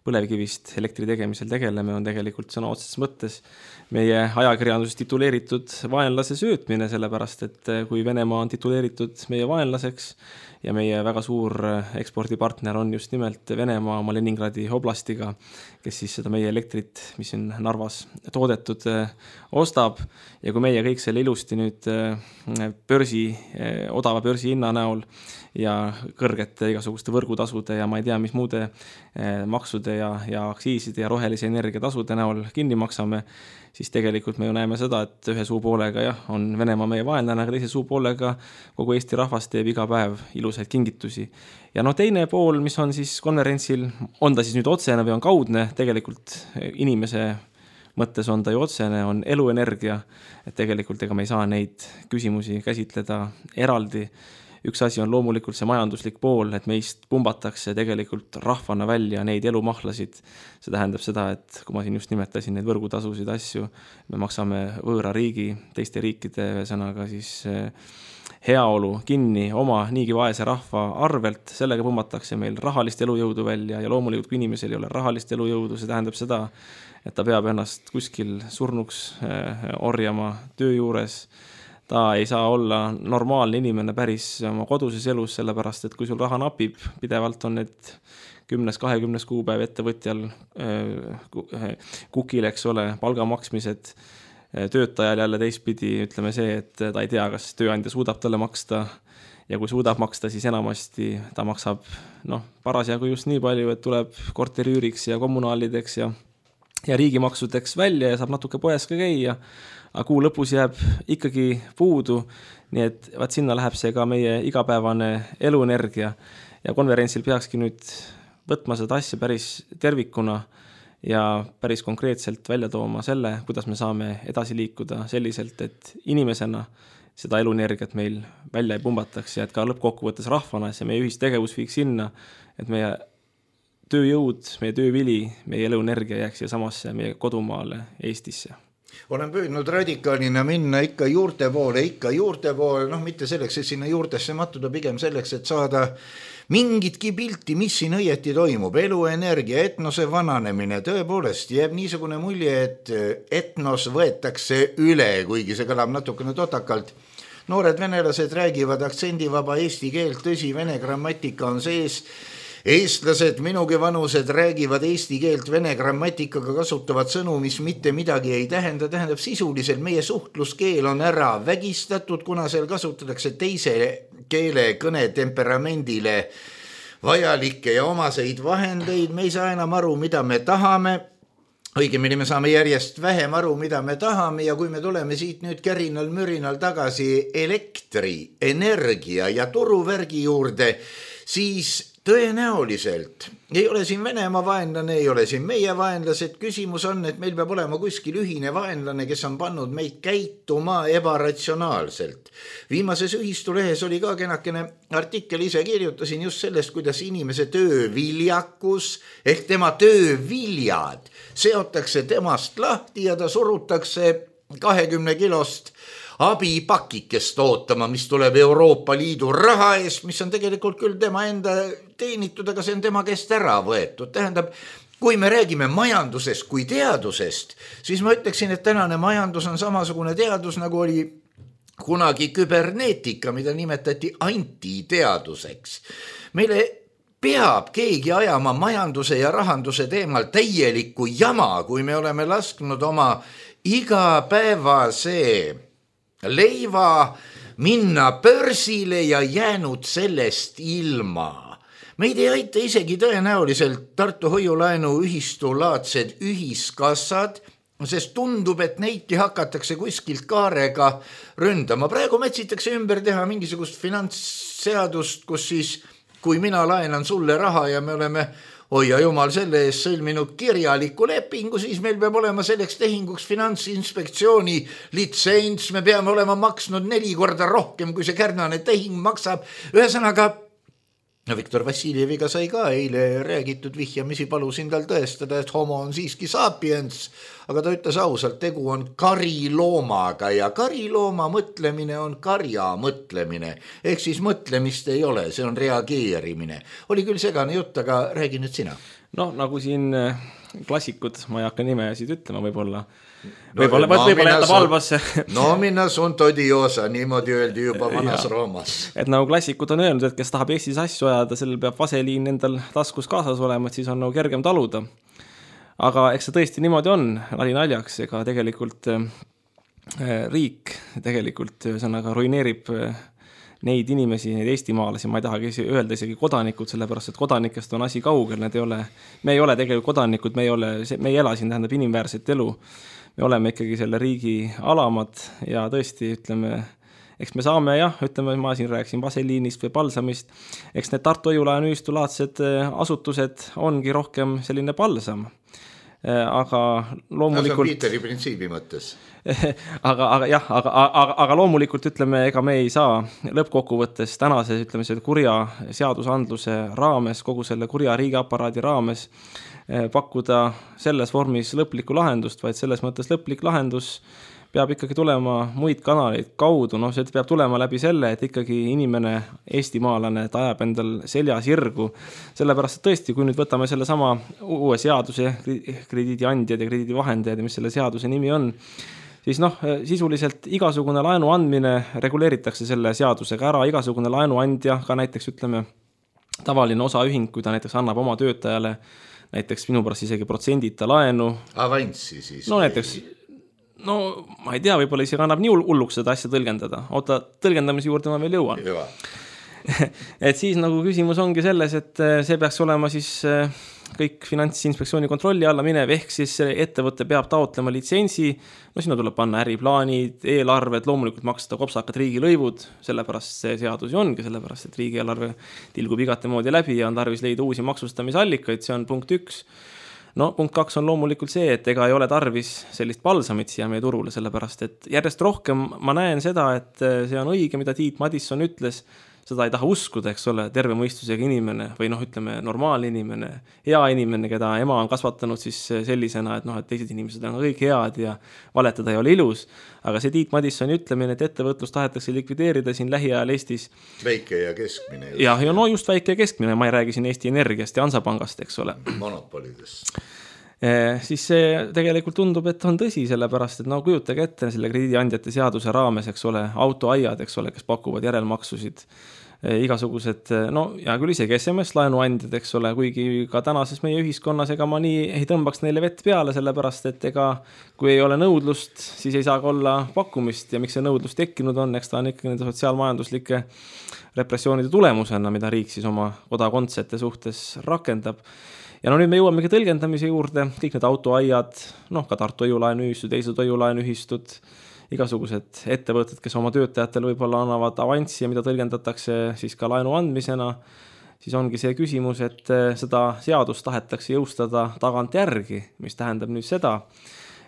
põlevkivist elektri tegemisel tegeleme, on tegelikult sõna otseses mõttes meie ajakirjanduses tituleeritud vaenlase söötmine, sellepärast et kui Venemaa on tituleeritud meie vaenlaseks ja meie väga suur ekspordipartner on just nimelt Venemaa oma Leningradi oblastiga, kes siis seda meie elektrit, mis on Narvas toodetud, ostab ja kui meie kõik selle ilusti nüüd börsi, odava börsi hinna näol ja kõrgete igasuguste võrgutasude ja ma ei tea, mis muude maksude ja, ja aktsiiside ja rohelise energia tasude näol kinni maksame, siis tegelikult me ju näeme seda, et ühe suu poolega jah, on Venemaa meie vaenlane, aga teise suu poolega kogu Eesti rahvas teeb iga päev ilusaid kingitusi. Ja no teine pool, mis on siis konverentsil, on ta siis nüüd otsene või on kaudne, tegelikult inimese mõttes on ta ju otsene, on eluenergia, et tegelikult ega me ei saa neid küsimusi käsitleda eraldi. Üks asi on loomulikult see majanduslik pool, et meist pumbatakse tegelikult rahvana välja neid elumahlasid. See tähendab seda, et kui ma siin just nimetasin neid võrgutasusid asju, me maksame võõra riigi, teiste riikide ühesõnaga siis heaolu kinni oma niigi vaese rahva arvelt, sellega pumbatakse meil rahalist elujõudu välja ja loomulikult kui inimesel ei ole rahalist elujõudu, see tähendab seda, et ta peab ennast kuskil surnuks orjama töö juures. Ta ei saa olla normaalne inimene päris oma koduses elus, sellepärast, et kui sul raha napib, pidevalt on need kümnes, kahekümnes kuupäev ettevõtjal kukil, eks ole, palga maksmised, töötajal jälle teistpidi, ütleme see, et ta ei tea, kas tööandja suudab talle maksta ja kui suudab maksta, siis enamasti ta maksab noh, parasjagu just nii palju, et tuleb korteriüüriks ja kommunaalideks ja, ja riigimaksudeks välja ja saab natuke poes ka käia. Aga kuu lõpus jääb ikkagi puudu, nii et vaat sinna läheb see ka meie igapäevane eluenergia ja konverentsil peakski nüüd võtma seda asja päris tervikuna ja päris konkreetselt välja tooma selle, kuidas me saame edasi liikuda selliselt, et inimesena seda eluenergiat meil välja ei pumbataks ja et ka lõppkokkuvõttes rahvana see meie ühistegevus viiks sinna, et meie tööjõud, meie töövili, meie eluenergia jääks siia samasse meie kodumaale Eestisse. Olen püüdnud radikaalina minna ikka juurte poole, ikka juurte poole, noh mitte selleks, et sinna juurtesse mattuda, pigem selleks, et saada mingitki pilti, mis siin õieti toimub. Eluenergia, etnose vananemine, tõepoolest jääb niisugune mulje, et etnos võetakse üle, kuigi see kõlab natukene totakalt. Noored venelased räägivad aktsendivaba eesti keelt, tõsi, vene grammatika on sees. Eestlased, minugi vanused räägivad eesti keelt vene grammatikaga, kasutavad sõnu, mis mitte midagi ei tähenda, tähendab sisuliselt meie suhtluskeel on ära vägistatud, kuna seal kasutatakse teise keele kõne temperamendile vajalikke ja omaseid vahendeid, me ei saa enam aru, mida me tahame, õigemini me saame järjest vähem aru, mida me tahame ja kui me tuleme siit nüüd kärinal mürinal tagasi elektri, energia ja turuvärgi juurde, siis tõenäoliselt ei ole siin Venemaa vaenlane, ei ole siin meie vaenlased. Küsimus on, et meil peab olema kuskil ühine vaenlane, kes on pannud meid käituma ebaratsionaalselt. Viimases ühistulehes oli ka kenakene artikkel, ise kirjutasin just sellest, kuidas inimese tööviljakus ehk tema tööviljad seotakse temast lahti ja ta surutakse kahekümne kilost abipakikest ootama, mis tuleb Euroopa Liidu raha eest, mis on tegelikult küll tema enda teenitud, aga see on tema käest ära võetud. Tähendab, kui me räägime majandusest kui teadusest, siis ma ütleksin, et tänane majandus on samasugune teadus, nagu oli kunagi küberneetika, mida nimetati antiteaduseks. Meile peab keegi ajama majanduse ja rahanduse teemal täielikku jama, kui me oleme lasknud oma igapäevase leiva minna börsile ja jäänud sellest ilma. Meid ei aita isegi tõenäoliselt Tartu hoiulaenu ühistulaadsed ühiskassad, sest tundub, et neidki hakatakse kuskilt kaarega ründama. Praegu metsitakse ümber teha mingisugust finantsseadust, kus siis, kui mina laenan sulle raha ja me oleme oi ja jumal selle eest sõlminud kirjaliku lepingu, siis meil peab olema selleks tehinguks Finantsinspektsiooni litsents, me peame olema maksnud neli korda rohkem, kui see kärnane tehing maksab. Ühesõnaga, no Viktor Vassiljeviga sai ka eile räägitud vihjamisi, palusin tal tõestada, et homo on siiski sapiens, aga ta ütles ausalt, tegu on kariloomaga ja karilooma mõtlemine on karja mõtlemine, ehk siis mõtlemist ei ole, see on reageerimine. Oli küll segane jutt, aga räägi nüüd sina. No nagu siin klassikud, ma ei hakka nimesid ütlema võib-olla, võib-olla no, võib jätab halvasse. No minna sunt odiosa, niimoodi öeldi juba vanas Roomas. Et nagu klassikud on öelnud, et kes tahab Eestis asju ajada, sellel peab vaseliin endal taskus kaasas olema, et siis on nagu kergem taluda. Aga eks see tõesti niimoodi on, nali naljaks, ega tegelikult äh, riik tegelikult sõnaga ruineerib äh, neid inimesi, neid eestimaalasi, ma ei tahagi öelda isegi kodanikud, sellepärast, et kodanikest on asi kaugel, need ei ole, me ei ole tegelikult kodanikud, me ei ole, me ei ela siin, tähendab inimväärset elu. Me oleme ikkagi selle riigi alamad ja tõesti, ütleme, eks me saame, jah, ütleme, ma siin rääksin vaseliinist või palsamist, eks need Tartu Õjulaen ühistulaadsed asutused ongi rohkem selline palsam. Aga loomulikult... No, see on Piiteri printsiibi mõttes. aga, aga jah, aga, aga, aga loomulikult ütleme, ega me ei saa lõppkokkuvõttes tänase, ütleme, selle kurja seadusandluse raames, kogu selle kurja riigiaparaadi raames pakkuda selles vormis lõplikku lahendust, vaid selles mõttes lõplik lahendus peab ikkagi tulema muid kanaleid kaudu, no see peab tulema läbi selle, et ikkagi inimene, eestimaalane, ta ajab endal seljas irgu, sellepärast, et tõesti, kui nüüd võtame selle sama uue seaduse, krediidiandjad ja krediidivahendajad, mis selle seaduse nimi on, siis noh, sisuliselt igasugune laenu andmine reguleeritakse selle seadusega ära, igasugune laenuandja, ka näiteks ütleme tavaline osaühing, kui ta näiteks annab oma töötajale näiteks minu pärast isegi protsendita laenu. Avanssi siis. No näiteks, no ma ei tea, võib-olla isegi annab nii hulluks seda asja tõlgendada. Oota, tõlgendamise juurde ma veel jõuan. Juba. Et siis nagu küsimus ongi selles, et see peaks olema siis kõik Finantsinspektsiooni kontrolli alla minev, ehk siis ettevõte peab taotlema litsentsi, no sinna tuleb panna äriplaanid, eelarved, loomulikult maksta kopsakad riigilõivud, sellepärast see seadus ju ongi, sellepärast et riigieelarve tilgub igate moodi läbi ja on tarvis leida uusi maksustamisallikaid, see on punkt üks. No punkt kaks on loomulikult see, et ega ei ole tarvis sellist palsamit siia meie turule, sellepärast et järjest rohkem ma näen seda, et see on õige, mida Tiit Madisson ütles, seda ei taha uskuda, eks ole, terve mõistusega inimene või noh, ütleme normaalne inimene, hea inimene, keda ema on kasvatanud siis sellisena, et noh, et teised inimesed on kõik head ja valetada ei ole ilus. Aga see Tiit Madissoni ütlemine, et ettevõtlus tahetakse likvideerida siin lähiajal Eestis. Väike ja keskmine. Ja, ja no just väike ja keskmine, ma ei räägi siin Eesti Energiast ja Hansapangast, eks ole. Monopolidest. Siis see tegelikult tundub, et on tõsi, sellepärast, et no kujutage ette selle krediidiandjate seaduse raames, eks ole, autoaiad, eks ole, kes pakuvad järelmaksusid, igasugused, no ja küll isegi S M S laenuandjad, eks ole, kuigi ka tänases meie ühiskonnas ega ma nii ei tõmbaks neile vett peale, sellepärast, et ega kui ei ole nõudlust, siis ei saa ka olla pakkumist ja miks see nõudlus tekkinud on, eks ta on ikkagi nende sotsiaalmajanduslike repressioonide tulemusena, mida riik siis oma kodakondsete suhtes rakendab. Ja no nüüd me jõuamegi tõlgendamise juurde, kõik need autoaiad, noh ka Tartu Õjulaenuühistud, teised Õjulaenuühistud, igasugused ettevõtted, kes oma töötajatele võib-olla annavad avanssi ja mida tõlgendatakse siis ka laenu andmisena, siis ongi see küsimus, et seda seadust tahetakse jõustada tagant järgi, mis tähendab nüüd seda,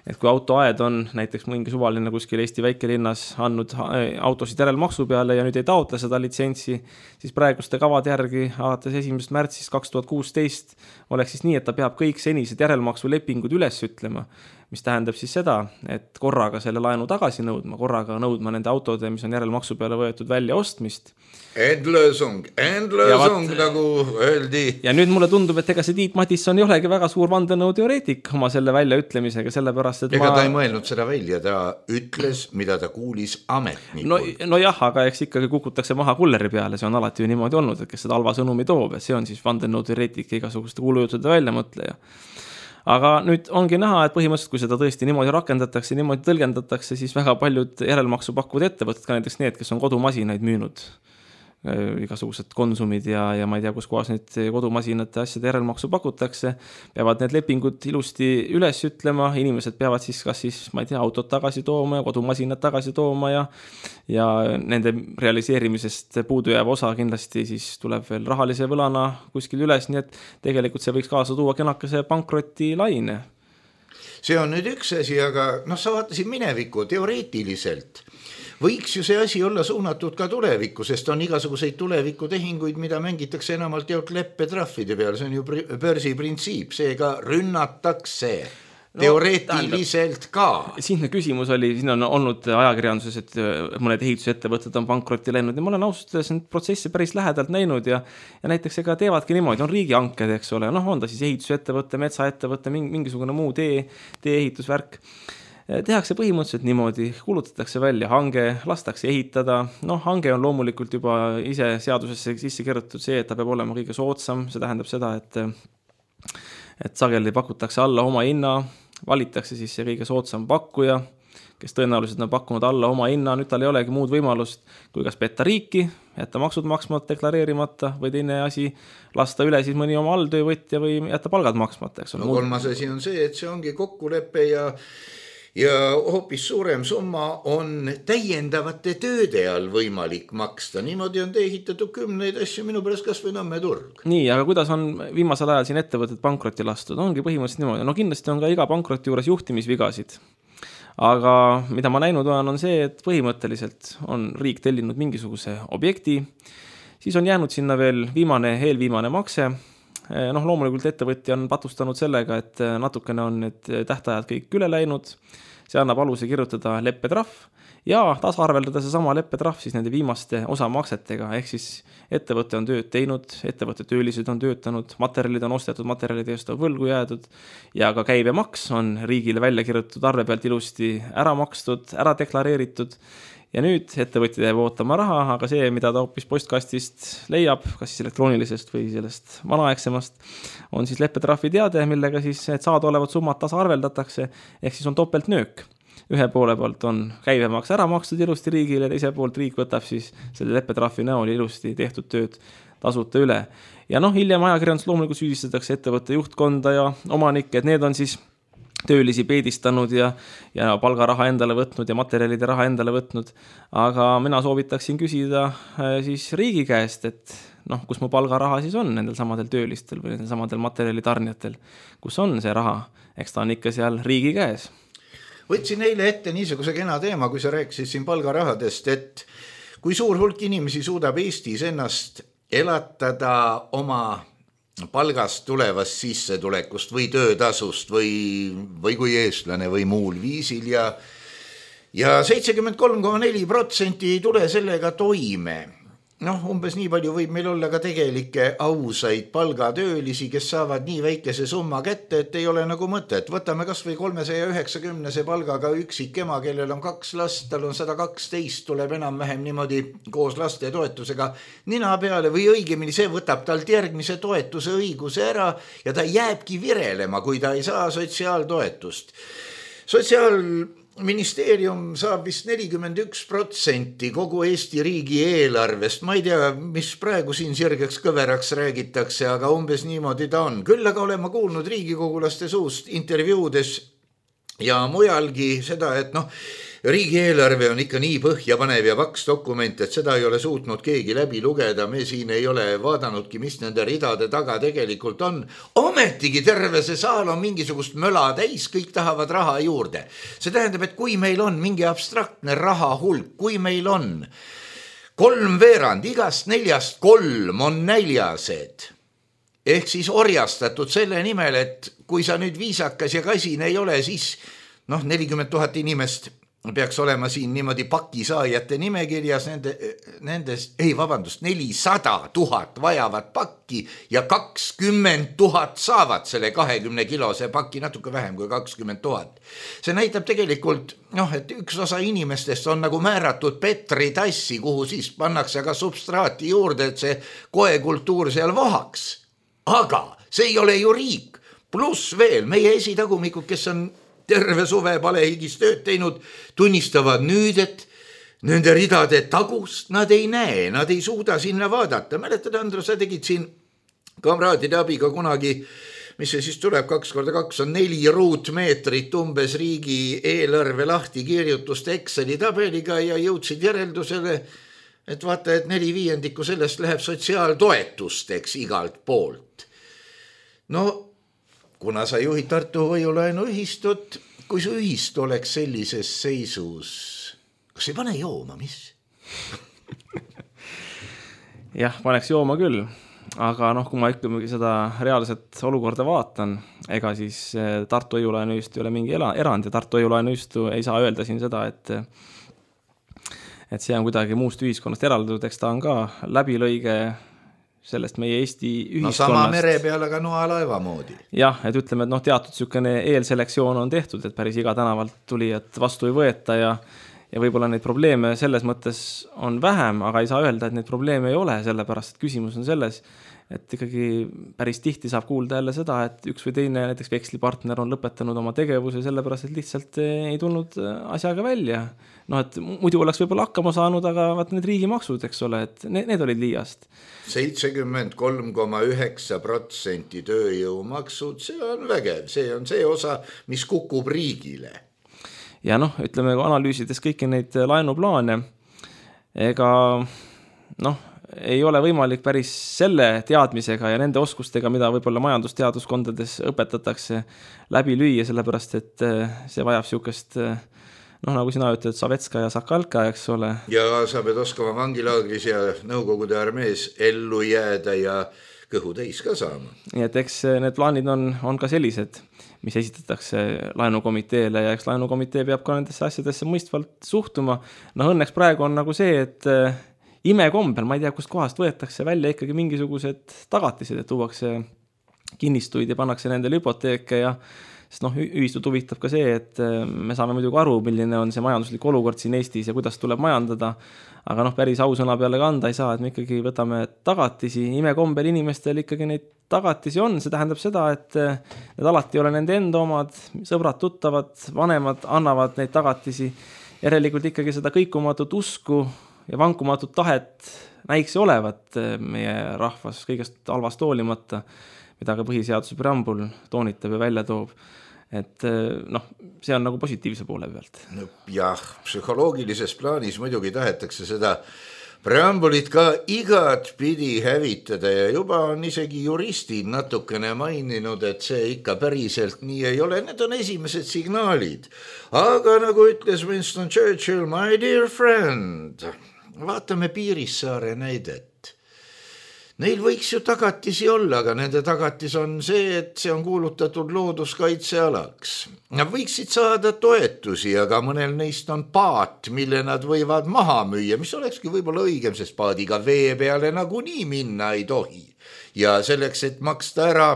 et kui autoaed on näiteks mingi suvaline kuskil Eesti väikelinnas andnud autosid järelmaksu peale ja nüüd ei taotle seda litsentsi, siis praeguste kavad järgi alates esimesest märtsist kaks tuhat kuusteist oleks siis nii, et ta peab kõik senised järelmaksu lepingud üles ütlema, mis tähendab siis seda, et korraga selle laenu tagasi nõudma, korraga nõudma nende autode, mis on järelmaksu peale võetud välja ostmist. Endlösung, endlösung, nagu öeldi. Ja nüüd mulle tundub, et ega see Tiit Madisson ei olegi väga suur vandenõuteoreetik oma selle väljaütlemisega, sellepärast, et ega ma... ta ei mõelnud seda välja, ta ütles, mida ta kuulis ametnikul. No, no jah, aga eks ikkagi kukutakse maha kulleri peale, see on alati ju niimoodi olnud, et kes seda halva sõnumi toob, et see on siis vandenõuteoreetik ja igasuguste kuulujutude väljamõtleja. Aga nüüd ongi näha, et põhimõtteliselt, kui seda tõesti niimoodi rakendatakse, niimoodi tõlgendatakse, siis väga paljud järelmaksu pakkuvad ettevõtted, ka näiteks need, kes on kodumasinaid müünud igasugused konsumid ja, ja ma ei tea, kus kohas neid kodumasinate asjade järelmaksu pakutakse, peavad need lepingud ilusti üles ütlema, inimesed peavad siis kas siis, ma ei tea, autot tagasi tooma ja kodumasinad tagasi tooma ja, ja nende realiseerimisest puudujääv osa kindlasti siis tuleb veel rahalise võlana kuskil üles, nii et tegelikult see võiks kaasa tuua kenakese pankroti laine. See on nüüd üks asi, aga noh, sa vaatasid minevikku teoreetiliselt. Võiks ju see asi olla suunatud ka tulevikku, sest on igasuguseid tulevikutehinguid, mida mängitakse enamalt jaolt leppetrahvide peal, see on ju börsi printsiip, seega rünnatakse no, teoreetiliselt ka. Siin küsimus oli, siin on olnud ajakirjanduses, et mõned ehitusettevõtted on pankrotti läinud ja ma olen ausalt öeldes neid protsesse päris lähedalt näinud ja, ja näiteks ega teevadki niimoodi, on riigihanked, eks ole, noh on ta siis ehitusettevõtte, metsaettevõtte, mingisugune muu tee, tee-ehitusvärk. Tehakse põhimõtteliselt niimoodi, kuulutatakse välja hange, lastakse ehitada, noh hange on loomulikult juba ise seadusesse sisse kirjutatud see, et ta peab olema kõige soodsam, see tähendab seda, et, et sageli pakutakse alla oma hinna, valitakse siis see kõige soodsam pakkuja, kes tõenäoliselt on pakkunud alla oma hinna, nüüd tal ei olegi muud võimalust, kui kas petta riiki, jätta maksud maksmata, deklareerimata või teine asi, lasta üle siis mõni oma alltöövõtja või jätta palgad maksmata. No muud... kolmas asi on see, et see ongi kokkulepe ja ja hoopis suurem summa on täiendavate tööde all võimalik maksta. Niimoodi on ehitatud kümneid asju minu pärast kas või Nõmme turg. Nii, aga kuidas on viimasel ajal siin ettevõtted pankrotti lastud? Ongi põhimõtteliselt niimoodi. No kindlasti on ka iga pankrotti juures juhtimisvigasid. Aga mida ma näinud olen, on see, et põhimõtteliselt on riik tellinud mingisuguse objekti, siis on jäänud sinna veel viimane, eelviimane makse. Noh, loomulikult ettevõtja on patustanud sellega, et natukene on need tähtajad kõik üle läinud, see annab aluse kirjutada leppetrahv ja tasarveldada see sama leppetrahv siis nende viimaste osamaksetega, ehk siis ettevõte on tööd teinud, ettevõtte töölised on töötanud, materjalid on ostetud, materjalid eest on võlgu jäädud ja ka käibemaks on riigile välja kirjutatud arve pealt ilusti ära makstud, ära deklareeritud. Ja nüüd ettevõtja jääb ootama raha, aga see, mida ta hoopis postkastist leiab, kas siis elektroonilisest või sellest vanaaegsemast, on siis leppetrahvi teade, millega siis saada olevat summad tasaarveldatakse, ehk siis on topeltnöök. Ühe poole poolt on käibemaks ära makstud ilusti riigile, teise poolt riik võtab siis selle leppetrahvi näol ilusti tehtud tööd tasuta üle. Ja noh, hiljem ajakirjandus loomulikult süüdistatakse ettevõtte juhtkonda ja omanikke, et need on siis töölisi peedistanud ja, ja palgaraha endale võtnud ja materjalide raha endale võtnud. Aga mina soovitaksin küsida siis riigi käest, et noh, kus mu palgaraha siis on nendel samadel töölistel või nendel samadel materjalitarnijatel, kus on see raha, eks ta on ikka seal riigi käes. Võtsin eile ette niisuguse kena teema, kui sa rääkisid siin palgarahadest, et kui suur hulk inimesi suudab Eestis ennast elatada oma palgast tulevast sissetulekust või töötasust või, või kui eestlane või muul viisil ja, ja seitsekümmend kolm koma neli protsenti ei tule sellega toime. Noh, umbes nii palju võib meil olla ka tegelikke ausaid palgatöölisi, kes saavad nii väikese summa kätte, et ei ole nagu mõtet. Võtame kas või kolmesaja üheksakümnese palgaga üksik ema, kellel on kaks last, tal on sada kaksteist, tuleb enam vähem niimoodi koos laste toetusega nina peale või õigemini see võtab talt järgmise toetuse õiguse ära ja ta jääbki virelema, kui ta ei saa sotsiaaltoetust. Sotsiaal Ministeerium saab vist nelikümmend üks protsenti kogu Eesti riigi eelarvest. Ma ei tea, mis praegu siin sirgeks kõveraks räägitakse, aga umbes niimoodi ta on. Küll aga olen ma kuulnud riigikogulaste suust intervjuudes ja mujalgi seda, et noh, riigieelarve on ikka nii põhjapanev ja paks dokument, et seda ei ole suutnud keegi läbi lugeda. Me siin ei ole vaadanudki, mis nende ridade taga tegelikult on. Ometigi terve see saal on mingisugust möla täis, kõik tahavad raha juurde. See tähendab, et kui meil on mingi abstraktne raha hulk, kui meil on kolm veerand, igast neljast kolm on näljased, ehk siis orjastatud selle nimel, et kui sa nüüd viisakas ja kasin ei ole, siis noh, nelikümmend tuhat inimest peaks olema siin niimoodi pakisaajate nimekirjas, nende, nendes, ei vabandust, nelisada tuhat vajavat pakki ja kakskümmend tuhat saavad selle kahekümne kilose pakki, natuke vähem kui kakskümmend tuhat. See näitab tegelikult, noh, et üks osa inimestest on nagu määratud Petri tassi, kuhu siis pannakse ka substraati juurde, et see koekultuur seal vohaks. Aga see ei ole ju riik. Pluss veel meie esitagumikud, kes on terve suve palehigis tööd teinud, tunnistavad nüüd, et nende ridade tagust nad ei näe, nad ei suuda sinna vaadata. Mäletad, Andro, sa tegid siin kamraadide abiga kunagi, mis see siis tuleb, kaks korda kaks on neli ruutmeetrit umbes riigi eelarve lahti kirjutust Exceli tabeliga ja jõudsid järeldusele, et vaata, et neli viiendikku sellest läheb sotsiaaltoetusteks igalt poolt. No, kuna sa juhid Tartu hoiulaenu ühistut, kui su ühistu oleks sellises seisus, kas ei pane jooma, mis? Jah, paneks jooma küll. Aga noh, kui ma ikkagi seda reaalset olukorda vaatan, ega siis Tartu hoiulaenuühistu ei ole mingi erand ja Tartu hoiulaenuühistu ei saa öelda siin seda, et, et see on kuidagi muust ühiskonnast eraldatud, eks ta on ka läbilõige sellest meie Eesti ühiskonnast. No sama mere peal, aga noa laeva moodi. Jah, et ütleme, et noh, teatud sükene eelselektsioon on tehtud, et päris iga tänavalt tuli, et vastu ei võeta ja Ja võib-olla neid probleeme selles mõttes on vähem, aga ei saa öelda, et neid probleeme ei ole, sellepärast, et küsimus on selles, et ikkagi päris tihti saab kuulda jälle seda, et üks või teine näiteks vekslipartner on lõpetanud oma tegevuse sellepärast, et lihtsalt ei tulnud asjaga välja. No, et muidu oleks võib-olla hakkama saanud, aga vaat need riigimaksud, eks ole, et need, need olid liiast. seitsekümmend kolm koma üheksa protsenti tööjõumaksud, see on vägev, see on see osa, mis kukub riigile. Ja noh, ütleme, analüüsides kõiki neid laenuplaane, ega noh, ei ole võimalik päris selle teadmisega ja nende oskustega, mida võib-olla majandusteaduskondades õpetatakse, läbi lüüa, sellepärast, et see vajab siukest, noh, nagu sina ütled, Savetska ja Sakalka, eks ole. Ja sa pead oskama vangilaagris ja Nõukogude armees ellu jääda ja kõhu täis ka saama. Nii et eks need plaanid on, on ka sellised, mis esitatakse laenukomiteele ja eks laenukomitee peab ka nendesse asjadesse mõistvalt suhtuma. No õnneks praegu on nagu see, et imekombel, ma ei tea, kust kohast võetakse välja ikkagi mingisugused tagatised, et tuuakse kinnistuid ja pannakse nendele hüpoteeke ja sest noh, ühistut huvitab ka see, et me saame muidugi aru, milline on see majanduslik olukord siin Eestis ja kuidas tuleb majandada, aga noh, päris ausõna peale kanda ei saa, et me ikkagi võtame tagatisi, imekombel inimestel ikkagi neid tagatisi on, see tähendab seda, et need alati ei ole nende enda omad, sõbrad, tuttavad, vanemad annavad neid tagatisi, järelikult ikkagi seda kõikumatut usku ja vankumatut tahet näiks olevat meie rahvas kõigest halvast hoolimata, mida ka põhiseaduse preambul toonitab ja välja toob. Et noh, see on nagu positiivse poole pealt. No, jah, psühholoogilises plaanis muidugi tahetakse seda preambulit ka igat pidi hävitada ja juba on isegi juristid natukene maininud, et see ikka päriselt nii ei ole. Need on esimesed signaalid. Aga nagu ütles Winston Churchill, my dear friend, vaatame Piirissaare näidet. Neil võiks ju tagatisi olla, aga nende tagatis on see, et see on kuulutatud looduskaitsealaks. Nad võiksid saada toetusi, aga mõnel neist on paat, mille nad võivad maha müüa, mis olekski võib-olla õigem, sest paadiga vee peale nagunii minna ei tohi. Ja selleks, et maksta ära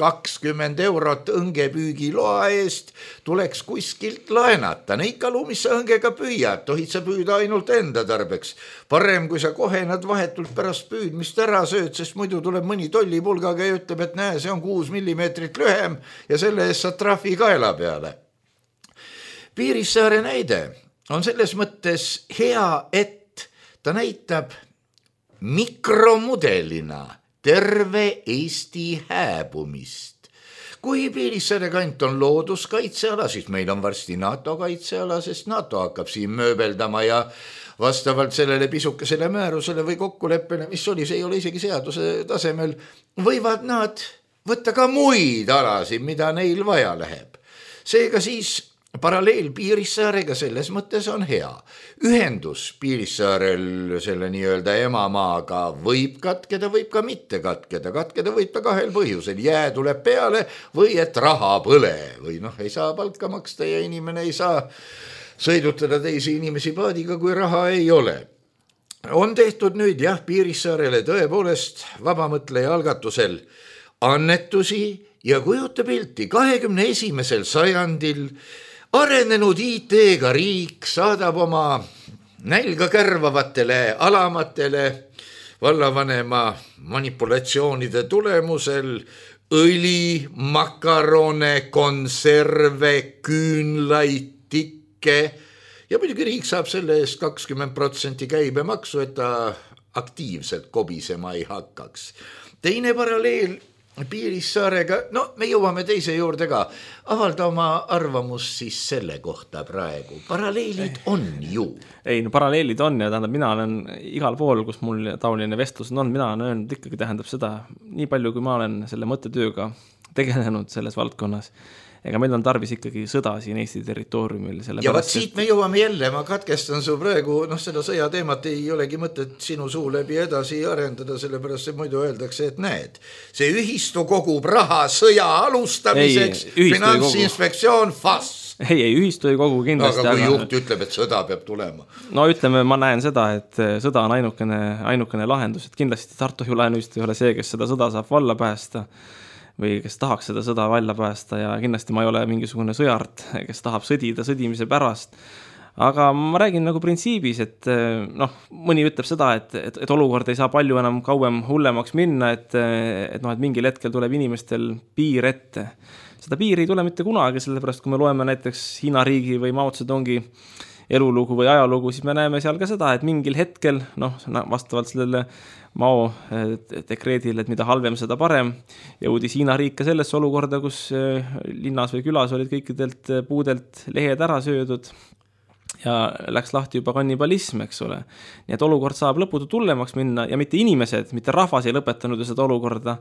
kakskümmend eurot õngepüügiloa eest, tuleks kuskilt laenata. Neid kalu, mis sa õngega püüad, tohid sa püüda ainult enda tarbeks. Parem, kui sa kohe nad vahetult pärast püüdmist ära sööd, sest muidu tuleb mõni tollipulgaga ja ütleb, et näe, see on kuus millimeetrit lühem ja selle eest saad trahvi kaela peale. Piirissaare näide on selles mõttes hea, et ta näitab mikromudelina terve Eesti hääbumist. Kui Piirissaare kant on looduskaitseala, siis meil on varsti NATO kaitseala, sest NATO hakkab siin mööbeldama ja vastavalt sellele pisukesele määrusele või kokkuleppele, mis oli, see ei ole isegi seaduse tasemel, võivad nad võtta ka muid alasid, mida neil vaja läheb. Seega siis paralleel Piirissaarega selles mõttes on hea. Ühendus Piirissaarel selle nii-öelda emamaaga võib katkeda, võib ka mitte katkeda. Katkeda võib ta kahel põhjusel. Jää tuleb peale või et raha põle või noh, ei saa palka maksta ja inimene ei saa sõidutada teisi inimesi paadiga, kui raha ei ole. On tehtud nüüd jah Piirissaarele tõepoolest vabamõtleja algatusel annetusi ja kujuta pilti kahekümne esimesel sajandil arenenud I T-ga riik saadab oma nälga kärvavatele alamatele vallavanema manipulatsioonide tulemusel õli, makarone, konserve, küünlaid, tikke ja muidugi riik saab selle eest kakskümmend protsenti käibemaksu, et ta aktiivselt kobisema ei hakkaks. Teine paralleel Piirissaarega, no me jõuame teise juurde ka, avalda oma arvamust siis selle kohta praegu. Paralleelid on ju. Ei, no paralleelid on ja tähendab, mina olen igal pool, kus mul taoline vestlus on, mina olen öelnud ikkagi tähendab seda, nii palju kui ma olen selle mõttetööga tegelenud selles valdkonnas, ega meil on tarvis ikkagi sõda siin Eesti territooriumil. Ja vaat siit me jõuame jälle, ma katkestan su praegu, noh seda sõjateemat ei olegi mõtet sinu suu läbi edasi arendada, sellepärast see muidu öeldakse, et näed, see ühistu kogub raha sõja alustamiseks, ei, finantsinspektsioon fass. Ei, ei, ühistu ei kogu kindlasti. Aga kui aga... juht ütleb, et sõda peab tulema. No ütleme, ma näen seda, et sõda on ainukene, ainukene lahendus, et kindlasti Tartu Laenuühistu ei ole see, kes seda sõda saab valla päästa või kes tahaks seda sõda välja päästa ja kindlasti ma ei ole mingisugune sõjart, kes tahab sõdida sõdimise pärast. Aga ma räägin nagu printsiibis, et noh, mõni ütleb seda, et, et, et olukord ei saa palju enam kauem hullemaks minna, et, et, noh, et mingil hetkel tuleb inimestel piir ette. Seda piiri ei tule mitte kunagi, sellepärast kui me loeme näiteks Hiina riigi või Mao Zedongi elulugu või ajalugu, siis me näeme seal ka seda, et mingil hetkel, noh, vastavalt sellele Mao dekreedile, et mida halvem, seda parem, jõudis Hiina riik ka sellesse olukorda, kus linnas või külas olid kõikidelt puudelt lehed ära söödud ja läks lahti juba kannibalism, eks ole. Nii et olukord saab lõputu tullemaks minna ja mitte inimesed, mitte rahvas ei lõpetanud seda olukorda,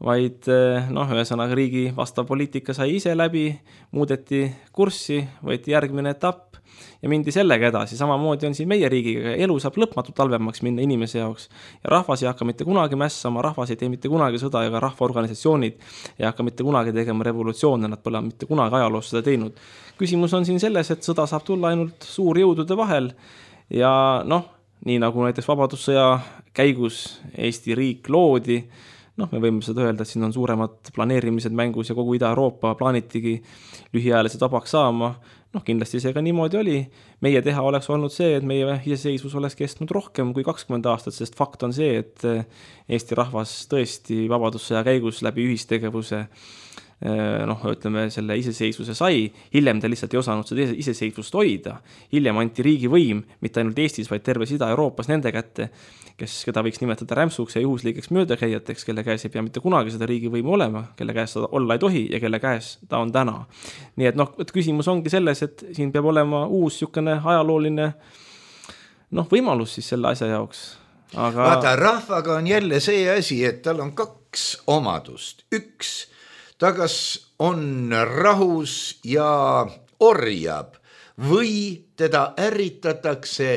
vaid noh, ühesõnaga riigi vastav poliitika sai ise läbi, muudeti kurssi, võeti järgmine etapp ja mindi sellega edasi. Samamoodi on siin meie riigiga, elu saab lõpmatult talvemaks minna inimese jaoks ja rahvas ei hakka mitte kunagi mässama, rahvas ei tee mitte kunagi sõda ega rahvaorganisatsioonid ei hakka mitte kunagi tegema revolutsioone, nad pole mitte kunagi ajaloos seda teinud. Küsimus on siin selles, et sõda saab tulla ainult suurjõudude vahel ja noh, nii nagu näiteks vabadussõja käigus Eesti riik loodi, noh, me võime seda öelda, et siin on suuremad planeerimised mängus ja kogu Ida-Euroopa plaanitigi lühiajalised vabaks saama. Noh, kindlasti see ka niimoodi oli. Meie teha oleks olnud see, et meie iseseisvus oleks kestnud rohkem kui kakskümmend aastat, sest fakt on see, et Eesti rahvas tõesti vabadussõja käigus läbi ühistegevuse noh, ütleme, selle iseseisvuse sai, hiljem ta lihtsalt ei osanud seda iseseisvust hoida. Hiljem anti riigi võim, mitte ainult Eestis, vaid terves Ida-Euroopas nende kätte, kes, keda võiks nimetada rämpsuks ja juhusliikeks möödakäijateks, kelle käes ei pea mitte kunagi seda riigi võimu olema, kelle käes seda olla ei tohi ja kelle käes ta on täna. Nii et noh, küsimus ongi selles, et siin peab olema uus sükene ajalooline noh, võimalus siis selle asja jaoks. Aga... Vaata, rahvaga on jälle see asi, et tal on kaks omadust. Üks, ta kas on rahus ja orjab või teda ärritatakse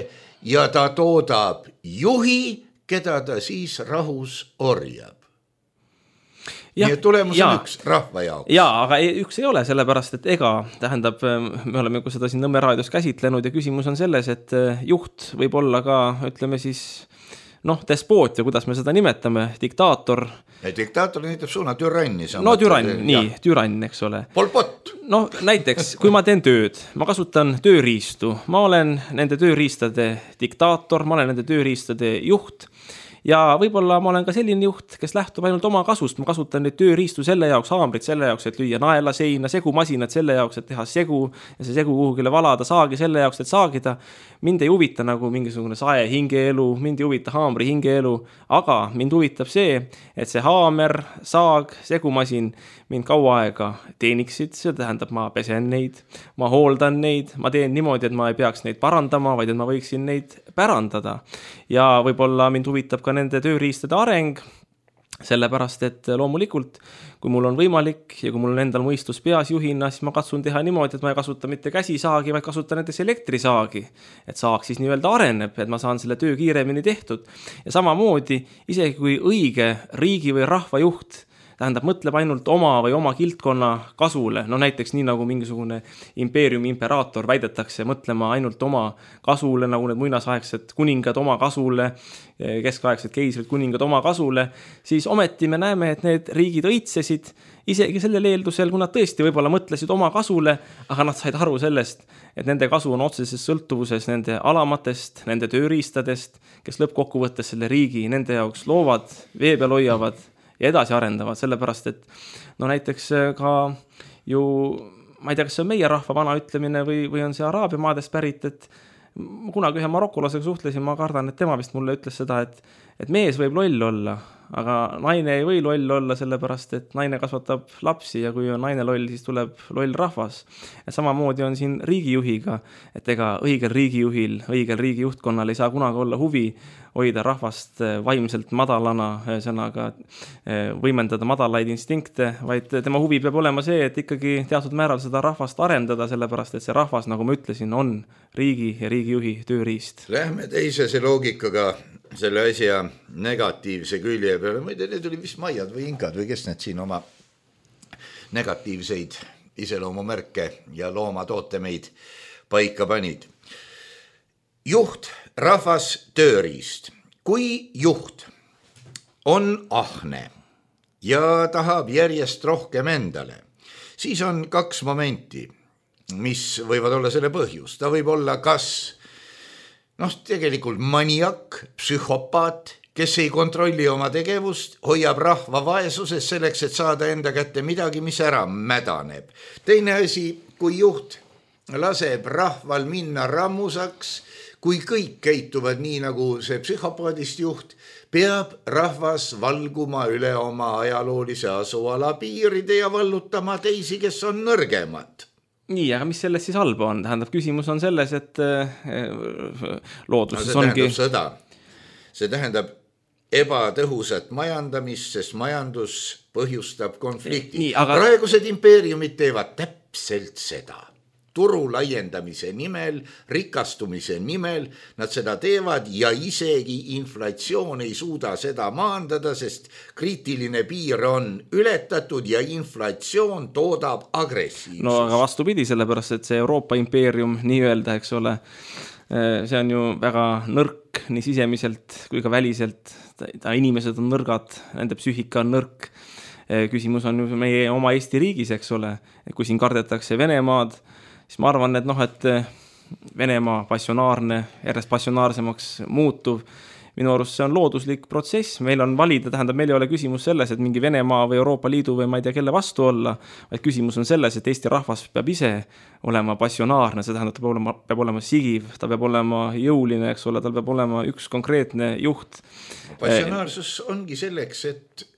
ja ta toodab juhi, keda ta siis rahus orjab. Ja, nii et tulemus ja, on üks rahva jaoks. Jaa, aga üks ei ole, sellepärast, et ega, tähendab, me oleme seda siin Nõmme raadios käsitlenud ja küsimus on selles, et juht võib olla ka, ütleme siis, noh, despoot ja kuidas me seda nimetame, diktaator. Ja diktaator nimetab suuna türanni. No türann, nii, türann, eks ole. Polpott. No näiteks, kui ma teen tööd, ma kasutan tööriistu, ma olen nende tööriistade diktaator, ma olen nende tööriistade juht ja võib-olla ma olen ka selline juht, kes lähtub ainult oma kasust, ma kasutan neid tööriistu selle jaoks, haamrit selle jaoks, et lüüa naela seina, segumasinad selle jaoks, et teha segu ja see segu kuhugile valada, saagi selle jaoks, et saagida. Mind ei huvita nagu mingisugune sae hingeelu, mind ei huvita haamri hingeelu, aga mind huvitab see, et see haamer, saag, segumasin mind kaua aega teeniksid, see tähendab, ma pesen neid, ma hooldan neid, ma teen niimoodi, et ma ei peaks neid parandama, vaid et ma võiksin neid pärandada. Ja võib-olla mind huvitab ka nende tööriistade areng, sellepärast, et loomulikult, kui mul on võimalik ja kui mul on endal mõistus peas juhina, siis ma katsun teha niimoodi, et ma ei kasuta mitte käsisaagi, vaid kasutan näiteks elektrisaagi. Et saak siis nii-öelda areneb, et ma saan selle töö kiiremini tehtud. Ja samamoodi, isegi kui õige riigi või rahva juht tähendab, mõtleb ainult oma või oma kiltkonna kasule, no näiteks nii nagu mingisugune impeeriumi imperaator väidetakse mõtlema ainult oma kasule, nagu need muinasaegsed kuningad oma kasule, keskaegsed keisrid kuningad oma kasule, siis ometi me näeme, et need riigid õitsesid isegi sellel eeldusel, kui nad tõesti võib-olla mõtlesid oma kasule, aga nad said aru sellest, et nende kasu on otseses sõltuvuses nende alamatest, nende tööriistadest, kes lõppkokkuvõttes selle riigi nende jaoks loovad, vee peal hoiavad ja edasi arendavad, sellepärast, et no näiteks ka ju ma ei tea, kas see on meie rahva vana ütlemine või, või on see Araabia maadest pärit, et ma kunagi ühe marokolasega suhtlesin, ma kardan, et tema vist mulle ütles seda, et, et mees võib loll olla, aga naine ei või loll olla, sellepärast, et naine kasvatab lapsi ja kui on naine loll, siis tuleb loll rahvas. Ja samamoodi on siin riigijuhiga, et ega õigel riigijuhil, õigel riigijuhtkonnal ei saa kunagi olla huvi hoida rahvast vaimselt madalana, sõnaga võimendada madalaid instinkte, vaid tema huvi peab olema see, et ikkagi teatud määral seda rahvast arendada, sellepärast, et see rahvas, nagu ma ütlesin, on riigi ja riigijuhi tööriist. Lähme teisese loogikaga selle asja negatiivse külje peale. Ma ei tea, need oli vist maiad või inkad või kes need siin oma negatiivseid iseloomumärke ja loomatootemeid paika panid. Juht, rahvas, tööriist. Kui juht on ahne ja tahab järjest rohkem endale, siis on kaks momenti, mis võivad olla selle põhjus. Ta võib olla kas noh, tegelikult maniak, psühhopaat, kes ei kontrolli oma tegevust, hoiab rahva vaesuses selleks, et saada enda kätte midagi, mis ära mädaneb. Teine asi, kui juht laseb rahval minna rammusaks, kui kõik käituvad nii, nagu see psühhopaadist juht, peab rahvas valguma üle oma ajaloolise asuala piiride ja vallutama teisi, kes on nõrgemad. Nii, aga mis sellest siis halba on? Tähendab, küsimus on selles, et looduses no, see ongi... tähendab sõda. See tähendab ebatõhusat majandamist, sest majandus põhjustab konflikti. Nii, aga... Praegused impeeriumid teevad täpselt seda. Turu laiendamise nimel, rikastumise nimel, nad seda teevad ja isegi inflatsioon ei suuda seda maandada, sest kriitiline piir on ületatud ja inflatsioon toodab agressiivsust. No aga vastupidi, sellepärast, et see Euroopa impeerium nii-öelda, eks ole, see on ju väga nõrk nii sisemiselt kui ka väliselt. Ta inimesed on nõrgad, nende psüühika on nõrk. Küsimus on ju meie oma Eesti riigis, eks ole, kui siin kardetakse Venemaad, siis ma arvan, et noh, et Venemaa passionaarne, järjest passionaarsemaks muutuv, minu arust see on looduslik protsess, meil on valida, tähendab, meil ei ole küsimus selles, et mingi Venemaa või Euroopa Liidu või ma ei tea, kelle vastu olla, vaid küsimus on selles, et Eesti rahvas peab ise olema passionaarne, see tähendab, ta peab olema, peab olema sigiv, ta peab olema jõuline, eks ole, tal peab olema üks konkreetne juht. Passionaarsus ongi selleks, et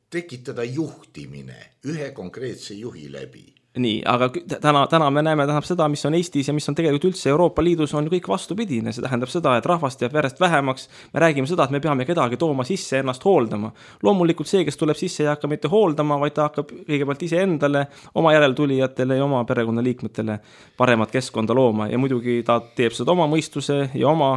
tekitada juhtimine ühe konkreetse juhi läbi. Nii, aga täna, täna me näeme tähendab seda, mis on Eestis ja mis on tegelikult üldse Euroopa Liidus on kõik vastupidine. See tähendab seda, et rahvast jääb järjest vähemaks. Me räägime seda, et me peame kedagi tooma sisse ennast hooldama. Loomulikult see, kes tuleb sisse, ei hakka mitte hooldama, vaid ta hakkab kõigepealt ise endale, oma järeltulijatele ja oma perekonnaliikmetele paremat keskkonda looma. Ja muidugi ta teeb seda oma mõistuse ja oma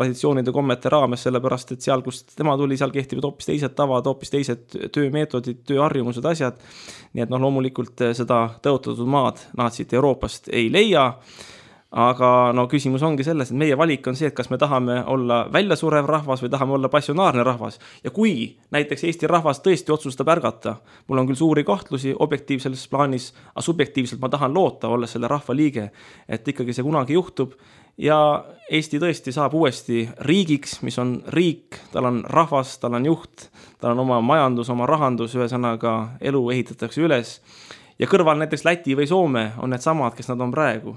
traditsioonide kommete raames, sellepärast, et seal, kus tema tuli, seal kehtivad hoopis teised tavad, hoopis teised töömeetodid, tööharjumused, asjad. Nii et noh, loomulikult seda tõotatud maad naatsit Euroopast ei leia, aga no küsimus ongi selles, et meie valik on see, et kas me tahame olla väljasurev rahvas või tahame olla passionaarne rahvas. Ja kui näiteks Eesti rahvas tõesti otsustab ärgata, mul on küll suuri kahtlusi objektiivses plaanis, aga subjektiivselt ma tahan loota, olla selle rahva liige, et ikkagi see kunagi juhtub ja Eesti tõesti saab uuesti riigiks, mis on riik, tal on rahvas, tal on juht, tal on oma majandus, oma rahandus, ühesõnaga elu ehitatakse üles. Ja kõrval näiteks Läti või Soome on need samad, kes nad on praegu.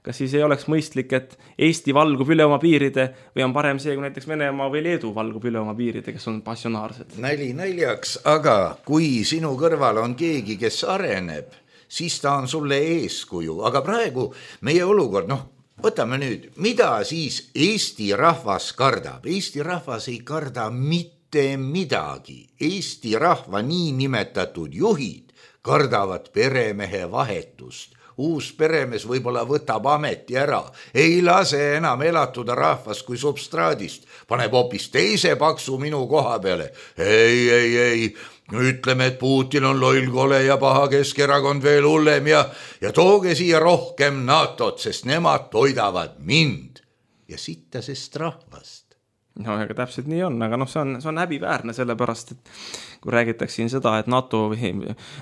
Kas siis ei oleks mõistlik, et Eesti valgub üle oma piiride või on parem see, kui näiteks Venemaa või Leedu valgub üle oma piiride, kes on passionaarsed? Näli naljaks, aga kui sinu kõrval on keegi, kes areneb, siis ta on sulle eeskuju. Aga praegu meie olukord, noh, võtame nüüd, mida siis Eesti rahvas kardab? Eesti rahvas ei karda mitte midagi. Eesti rahva nii nimetatud juhid kardavad peremehe vahetust. Uus peremees võib-olla võtab ameti ära, ei lase enam elatuda rahvast kui substraadist, paneb hoopis teise paksu minu koha peale. Ei, ei, ei, ütleme, et Putin on loll, kole ja paha, Keskerakond veel hullem ja, ja tooge siia rohkem NATOt, sest nemad toidavad mind ja sittasest rahvast. No, aga täpselt nii on, aga noh, see on, see on häbiväärne sellepärast, et kui räägitakse siin seda, et NATO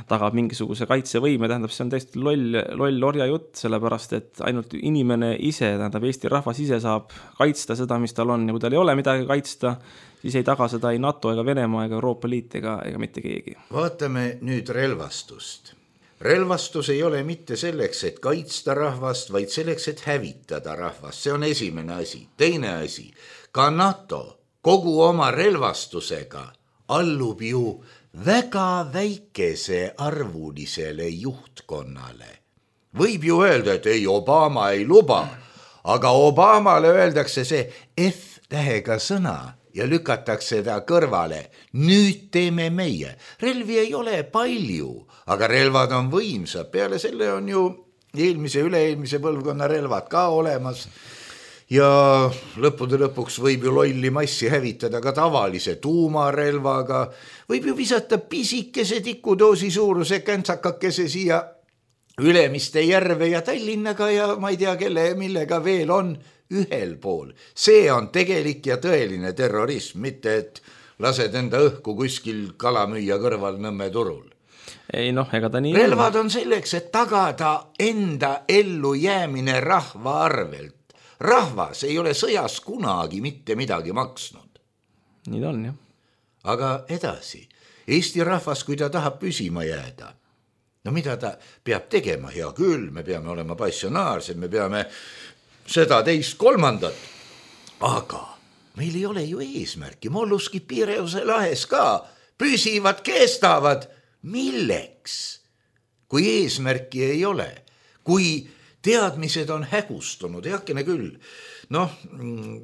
tagab mingisuguse kaitsevõime, tähendab, see on täiesti loll, loll orja jutt, sellepärast, et ainult inimene ise, tähendab, Eesti rahvas ise saab kaitsta seda, mis tal on ja kui tal ei ole midagi kaitsta, siis ei taga seda ei NATO ega Venemaa ega Euroopa Liit ega, ega mitte keegi. Vaatame nüüd relvastust. relvastus ei ole mitte selleks, et kaitsta rahvast, vaid selleks, et hävitada rahvast. See on esimene asi. Teine asi, ka NATO kogu oma relvastusega allub ju väga väikese arvulisele juhtkonnale. Võib ju öelda, et ei, Obama ei luba, aga Obamale öeldakse see F-tähega sõna ja lükatakse ta kõrvale. Nüüd teeme meie. Relvi ei ole palju, aga relvad on võimsad. Peale selle on ju eelmise, üle-eelmise põlvkonna relvad ka olemas. Ja lõppude lõpuks võib ju lolli massi hävitada ka tavalise tuumarelvaga. Võib ju visata pisikese tikudoosi suuruse käntsakakese siia Ülemiste järve ja Tallinnaga ja ma ei tea, kelle millega veel on ühel pool. See on tegelik ja tõeline terrorism, mitte et lased enda õhku kuskil kalamüüja kõrval Nõmme turul. Ei noh, ega ta nii relvad on selleks, et tagada enda ellu jäämine rahva arvelt. Rahvas ei ole sõjas kunagi mitte midagi maksnud. Nii ta on, jah. Aga edasi, Eesti rahvas, kui ta tahab püsima jääda, no mida ta peab tegema? Hea küll, me peame olema passionaarsed, me peame seda teist kolmandat. Aga meil ei ole ju eesmärki. Molluskid Piireuse lahes ka püsivad, kestavad. Milleks? Kui eesmärki ei ole, kui teadmised on hägustunud, heakene küll. Noh,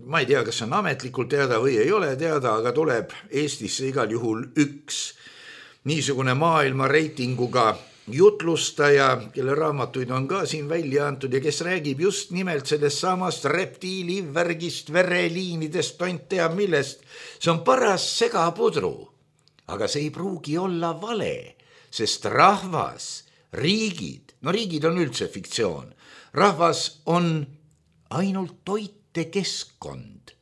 ma ei tea, kas see on ametlikult teada või ei ole teada, aga tuleb Eestisse igal juhul üks niisugune maailma reitinguga jutlustaja, kelle raamatuid on ka siin välja antud ja kes räägib just nimelt sellest samast reptiilivärgist, vereliinidest, tont tea millest. See on paras segapudru, aga see ei pruugi olla vale, sest rahvas, riigid, no riigid on üldse fiktsioon, rahvas on ainult toitekeskkond,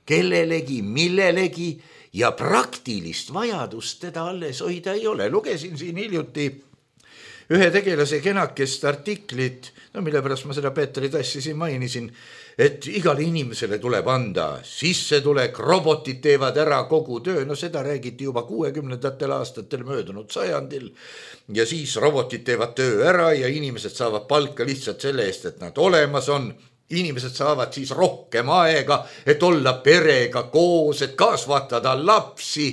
kellelegi, millelegi ja praktilist vajadust teda alles hoida ei ole. Lugesin siin hiljuti ühe tegelase kenakest artiklit, no mille pärast ma seda Petri tassi siin mainisin, et igale inimesele tuleb anda sissetulek, robotid teevad ära kogu töö, no seda räägiti juba kuuekümnendatel aastatel möödunud sajandil ja siis robotid teevad töö ära ja inimesed saavad palka lihtsalt selle eest, et nad olemas on. Inimesed saavad siis rohkem aega, et olla perega koos, et kasvatada lapsi.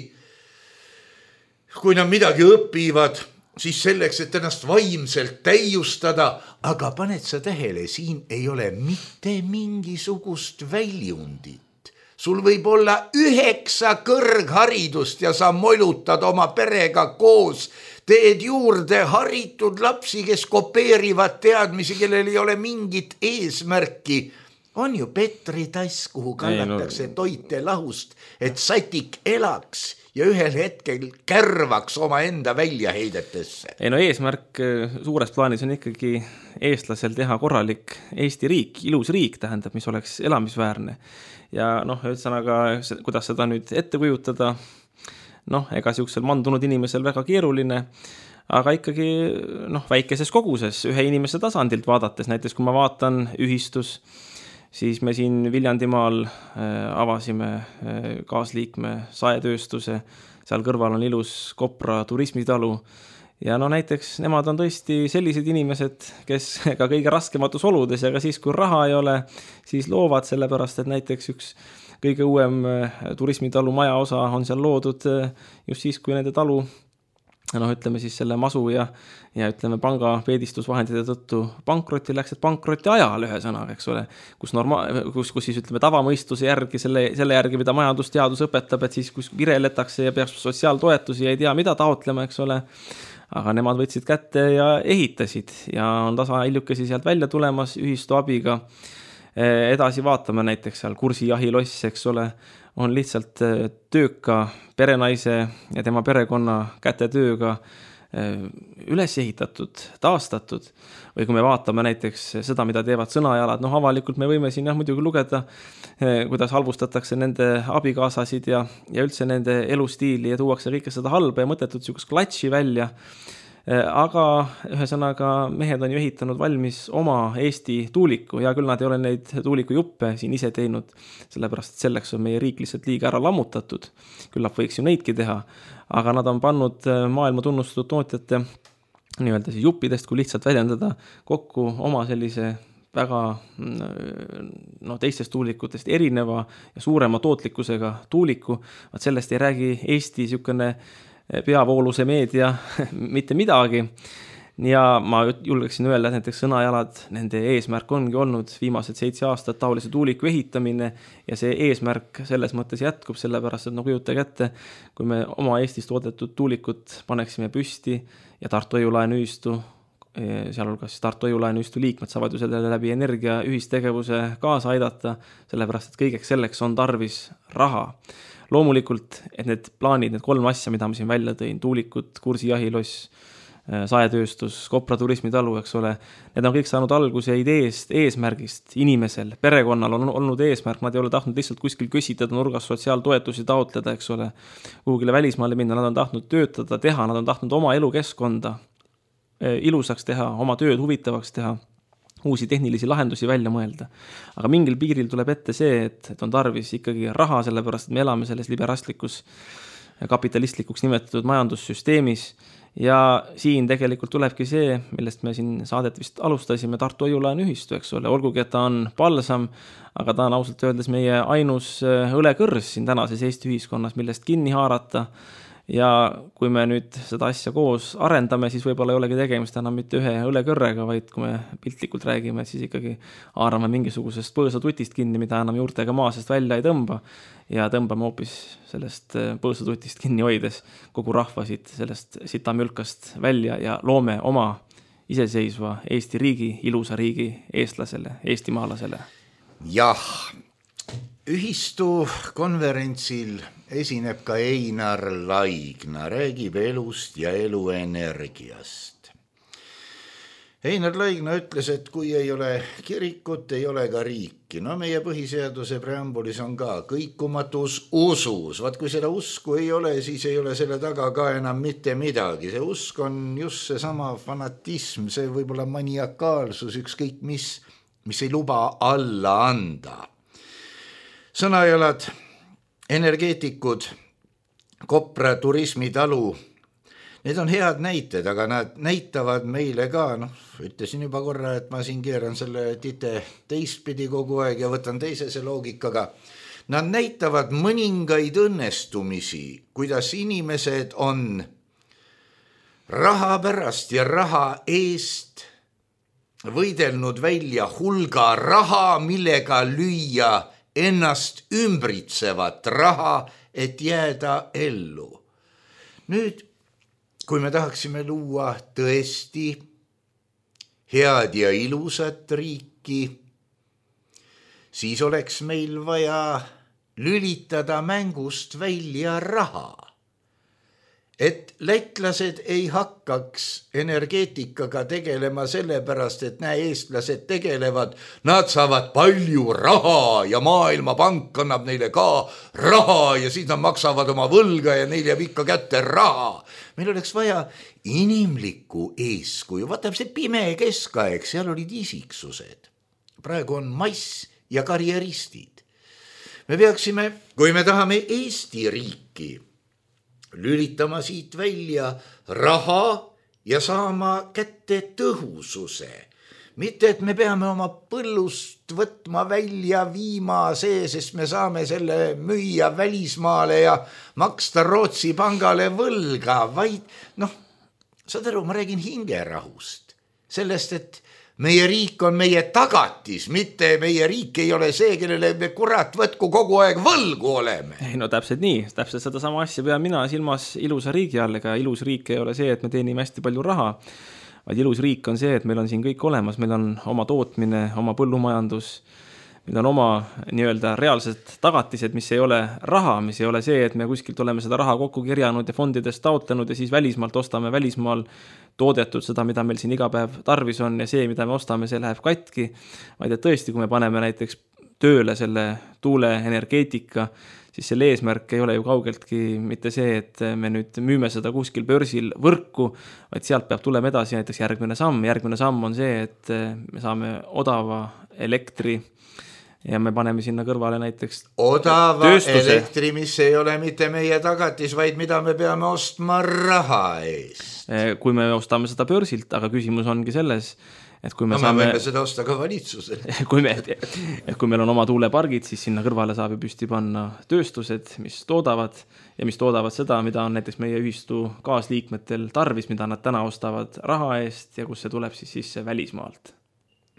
Kui nad midagi õpivad, siis selleks, et ennast vaimselt täiustada, aga paned sa tähele, siin ei ole mitte mingisugust väljundit. Sul võib olla üheksa kõrgharidust ja sa molutad oma perega koos, teed juurde haritud lapsi, kes kopeerivad teadmisi, kellel ei ole mingit eesmärki. On ju Petri tass, kuhu kallatakse no... toite lahust, et satik elaks ja ühel hetkel kärvaks oma enda väljaheidetesse. Ei no eesmärk suures plaanis on ikkagi eestlasel teha korralik Eesti riik, ilus riik tähendab, mis oleks elamisväärne. Ja noh, ühesõnaga, kuidas seda nüüd ette kujutada, noh, ega siuksel mandunud inimesel väga keeruline, aga ikkagi noh, väikeses koguses, ühe inimese tasandilt vaadates, näiteks kui ma vaatan ühistus, siis me siin Viljandimaal avasime kaasliikme saetööstuse, seal kõrval on ilus Kopra turismitalu ja no näiteks nemad on tõesti sellised inimesed, kes ka kõige raskematus oludes ja ka siis, kui raha ei ole, siis loovad sellepärast, et näiteks üks kõige uuem turismitalu maja osa on seal loodud just siis, kui nende talu, noh ütleme siis selle masu ja, ja ütleme panga peedistusvahendite tõttu pankrotti läks, et pankrotti ajal ühe sõnaga, eks ole, kus, norma, kus, kus siis ütleme tavamõistuse järgi, selle, selle järgi, mida majandusteadus õpetab, et siis kus vireletakse ja peaks sotsiaaltoetusi ja ei tea, mida taotlema, eks ole, aga nemad võtsid kätte ja ehitasid ja on tasa hiljukesi sealt välja tulemas ühistu abiga. Edasi vaatame näiteks seal Kursijahiloss, eks ole, on lihtsalt tööka perenaise ja tema perekonna kätetööga üles ehitatud, taastatud. Või kui me vaatame näiteks seda, mida teevad sõnajalad, noh avalikult me võime siin jah, muidugi lugeda, kuidas halvustatakse nende abikaasasid ja, ja üldse nende elustiili ja tuuakse kõike seda halba ja mõttetut siukest klatši välja. Aga ühesõnaga mehed on ju ehitanud valmis oma Eesti tuuliku ja küll nad ei ole neid tuuliku juppe siin ise teinud, sellepärast selleks on meie riik lihtsalt liiga ära lammutatud. Küllap võiks ju neidki teha, aga nad on pannud maailma tunnustatud tootjate nii-öelda siis juppidest, kui lihtsalt väljendada kokku oma sellise väga no, teistest tuulikutest erineva ja suurema tootlikkusega tuuliku. Vaat sellest ei räägi Eesti niisugune peavooluse meedia mitte midagi. Ja ma julgeksin öelda, et näiteks Sõnajalad, nende eesmärk ongi olnud viimased seitse aastat taolise tuuliku ehitamine ja see eesmärk selles mõttes jätkub, sellepärast, et no kujutage ette, kui me oma Eestis toodetud tuulikut paneksime püsti ja Tartu Hoiu-laenuühistu, sealhulgas Tartu Hoiu-laenuühistu liikmed saavad ju selle läbi energia ühistegevuse kaasa aidata, sellepärast, et kõigeks selleks on tarvis raha. Loomulikult, et need plaanid, need kolm asja, mida ma siin välja tõin, tuulikud, kursijahiloss, saetööstus, Kopra turismitalu, eks ole, need on kõik saanud alguse ideest, eesmärgist, inimesel, perekonnal on olnud eesmärk, nad ei ole tahtnud lihtsalt kuskil kösitada nurgas sotsiaaltoetusi taotleda, eks ole, kuhugile välismaale minna, nad on tahtnud töötada, teha, nad on tahtnud oma elukeskkonda ilusaks teha, oma tööd huvitavaks teha, uusi tehnilisi lahendusi välja mõelda. Aga mingil piiril tuleb ette see, et, et on tarvis ikkagi raha, sellepärast, et me elame selles liberastlikus, kapitalistlikuks nimetatud majandussüsteemis ja siin tegelikult tulebki see, millest me siin saadet vist alustasime, Tartu Hoiu-laenuühistu, eks ole, olgugi, et ta on palsam, aga ta on ausalt öeldes meie ainus õlekõrs siin tänases Eesti ühiskonnas, millest kinni haarata. Ja kui me nüüd seda asja koos arendame, siis võib-olla ei olegi tegemist enam mitte ühe õlekõrrega, vaid kui me piltlikult räägime, siis ikkagi haarame mingisugusest põõsatutist kinni, mida enam juurtega maa sest välja ei tõmba ja tõmbame hoopis sellest põõsatutist kinni hoides kogu rahva siit sellest sitamülkast välja ja loome oma iseseisva Eesti riigi, ilusa riigi eestlasele, eestimaalasele. Jah, ühistu konverentsil esineb ka Einar Laigna, räägib elust ja eluenergiast. Einar Laigna ütles, et kui ei ole kirikut, ei ole ka riiki. No meie põhiseaduse preambulis on ka kõikumatus usus. Vaat kui seda usku ei ole, siis ei ole selle taga ka enam mitte midagi. See usk on just see sama fanatism, see võib-olla maniakaalsus, ükskõik mis, mis ei luba alla anda. Sõnajalad, energeetikud, Kopra turismitalu, need on head näited, aga nad näitavad meile ka, noh, ütlesin juba korra, et ma siin keeran selle tite teistpidi kogu aeg ja võtan teisese loogikaga. Nad näitavad mõningaid õnnestumisi, kuidas inimesed on raha pärast ja raha eest võidelnud välja hulga raha, millega lüüa ennast ümbritsevat raha, et jääda ellu. Nüüd, kui me tahaksime luua tõesti head ja ilusat riiki, siis oleks meil vaja lülitada mängust välja raha. Et lätlased ei hakkaks energeetikaga tegelema sellepärast, et näe, eestlased tegelevad, nad saavad palju raha ja Maailmapank annab neile ka raha ja siis nad maksavad oma võlga ja neil jääb ikka kätte raha. Meil oleks vaja inimlikku eeskuju, vaata see pime keskaeg, seal olid isiksused. Praegu on mass ja karjeristid. Me peaksime, kui me tahame Eesti riiki, lülitama siit välja raha ja saama kätte tõhususe. Mitte, et me peame oma põllust võtma välja viima see, sest me saame selle müüa välismaale ja maksta Rootsi pangale võlga, vaid noh, saad aru, ma räägin hingerahust. Sellest, et meie riik on meie tagatis, mitte meie riik ei ole see, kellele me kurat võtku kogu aeg võlgu oleme. Ei, no täpselt nii, täpselt seda sama asja pean mina silmas ilusa riigi all, ega ilus riik ei ole see, et me teenime hästi palju raha, vaid ilus riik on see, et meil on siin kõik olemas, meil on oma tootmine, oma põllumajandus, meil on oma nii-öelda reaalsed tagatised, mis ei ole raha, mis ei ole see, et me kuskilt oleme seda raha kokku kirjanud ja fondidest taotlenud ja siis välismaalt ostame välismaal toodetud seda, mida meil siin iga päev tarvis on ja see, mida me ostame, see läheb katki, vaid et tõesti, kui me paneme näiteks tööle selle tuuleenergeetika, siis selle eesmärk ei ole ju kaugeltki mitte see, et me nüüd müüme seda kuskil börsil võrku, vaid sealt peab tulema edasi näiteks järgmine samm. Järgmine samm on see, et me saame odava elektri ja me paneme sinna kõrvale näiteks odava tööstuse. elektri, mis ei ole mitte meie tagatis, vaid mida me peame ostma raha eest. Kui me ostame seda börsilt, aga küsimus ongi selles, et kui me no, saame... me võime seda osta ka valitsusele. kui, me, et kui meil on oma tuulepargid, siis sinna kõrvale saab ju püsti panna tööstused, mis toodavad ja mis toodavad seda, mida on näiteks meie ühistu kaasliikmetel tarvis, mida nad täna ostavad raha eest ja kus see tuleb siis sisse välismaalt.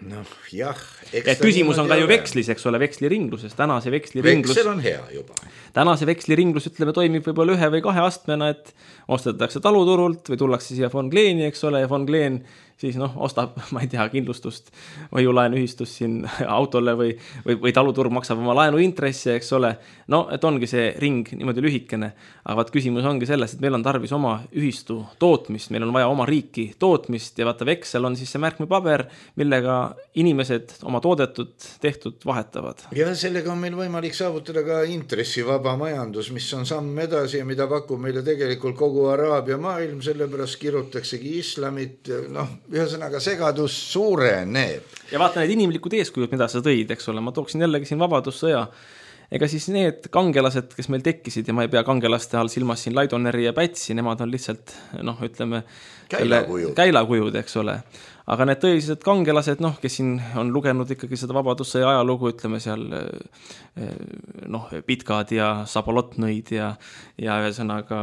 noh jah, et küsimus on ka ju vekslis, eks ole, veksliringluses, täna see veksliringlus veksel on hea juba. Täna see veksliringlus, ütleme, toimib võib-olla ühe või kahe astmena, et ostetakse taluturult või tullakse siia Von Kleeni, eks ole, ja Von Kleen siis noh, ostab, ma ei tea, kindlustust või ju laenuühistust siin autole või, või, või taluturg maksab oma laenuintressi, eks ole. No, et ongi see ring niimoodi lühikene, aga vaat küsimus ongi selles, et meil on tarvis oma ühistu tootmist, meil on vaja oma riiki tootmist ja vaata veksel on siis see märkmepaber, millega inimesed oma toodetud, tehtud vahetavad. Ja sellega on meil võimalik saavutada ka intressivaba majandus, mis on samm edasi ja mida pakub meile tegelikult kogu Araabia maailm, sellepärast kirjutaksegi islamit, noh, ühesõnaga segadus suureneb. Ja vaata need inimlikud eeskujud, mida sa tõid, eks ole, ma tooksin jällegi siin vabadussõja. Ega siis need kangelased, kes meil tekkisid ja ma ei pea kangelaste all silmas siin Laidoneri ja Pätsi, nemad on lihtsalt, noh, ütleme, käilakujud. käilakujud, eks ole. Aga need tõelised kangelased, noh, kes siin on lugenud ikkagi seda vabadussõja ajalugu, ütleme seal, noh, Pitkad ja Sabolotnõid ja, ja ühesõnaga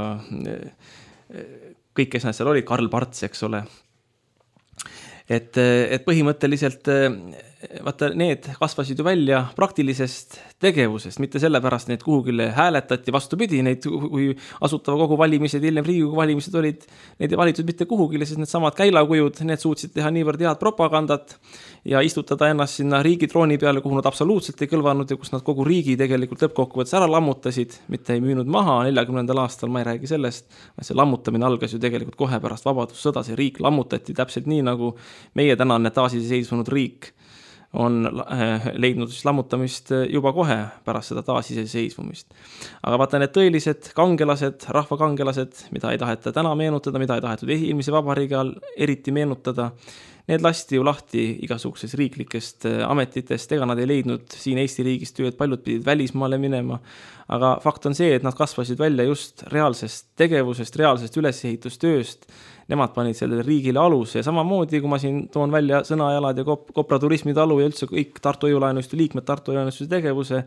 kõik, kes nad seal olid, Karl Parts, eks ole. Et, et põhimõtteliselt vaata, need kasvasid ju välja praktilisest tegevusest, mitte sellepärast neid kuhugile hääletati, vastupidi, neid kui asutava kogu valimised, hiljem Riigikogu valimised olid, neid ei valitud mitte kuhugile, sest need samad käilakujud, need suutsid teha niivõrd head propagandat ja istutada ennast sinna riigi trooni peale, kuhu nad absoluutselt ei kõlvanud ja kus nad kogu riigi tegelikult lõppkokkuvõttes ära lammutasid, mitte ei müünud maha neljakümnendal aastal, ma ei räägi sellest, see lammutamine algas ju tegelikult kohe pärast vabadussõda, see riik lammutati täpselt nii, nagu meie tänane taasiseseisvunud riik on leidnud siis lammutamist juba kohe pärast seda taasiseseisvumist. Aga vaata need tõelised kangelased, rahvakangelased, mida ei taheta täna meenutada, mida ei tahetud eelmise vabariigi all eriti meenutada, need lasti ju lahti igasugusest riiklikest ametitest, ega nad ei leidnud siin Eesti riigis tööd, paljud pidid välismaale minema, aga fakt on see, et nad kasvasid välja just reaalsest tegevusest, reaalsest ülesehitustööst, nemad panid sellele riigile aluse ja samamoodi, kui ma siin toon välja sõnajalad ja Kopra turismitalu ja üldse kõik Tartu Hoiulaenuühistu liikmed Tartu Hoiulaenuühistu tegevuse,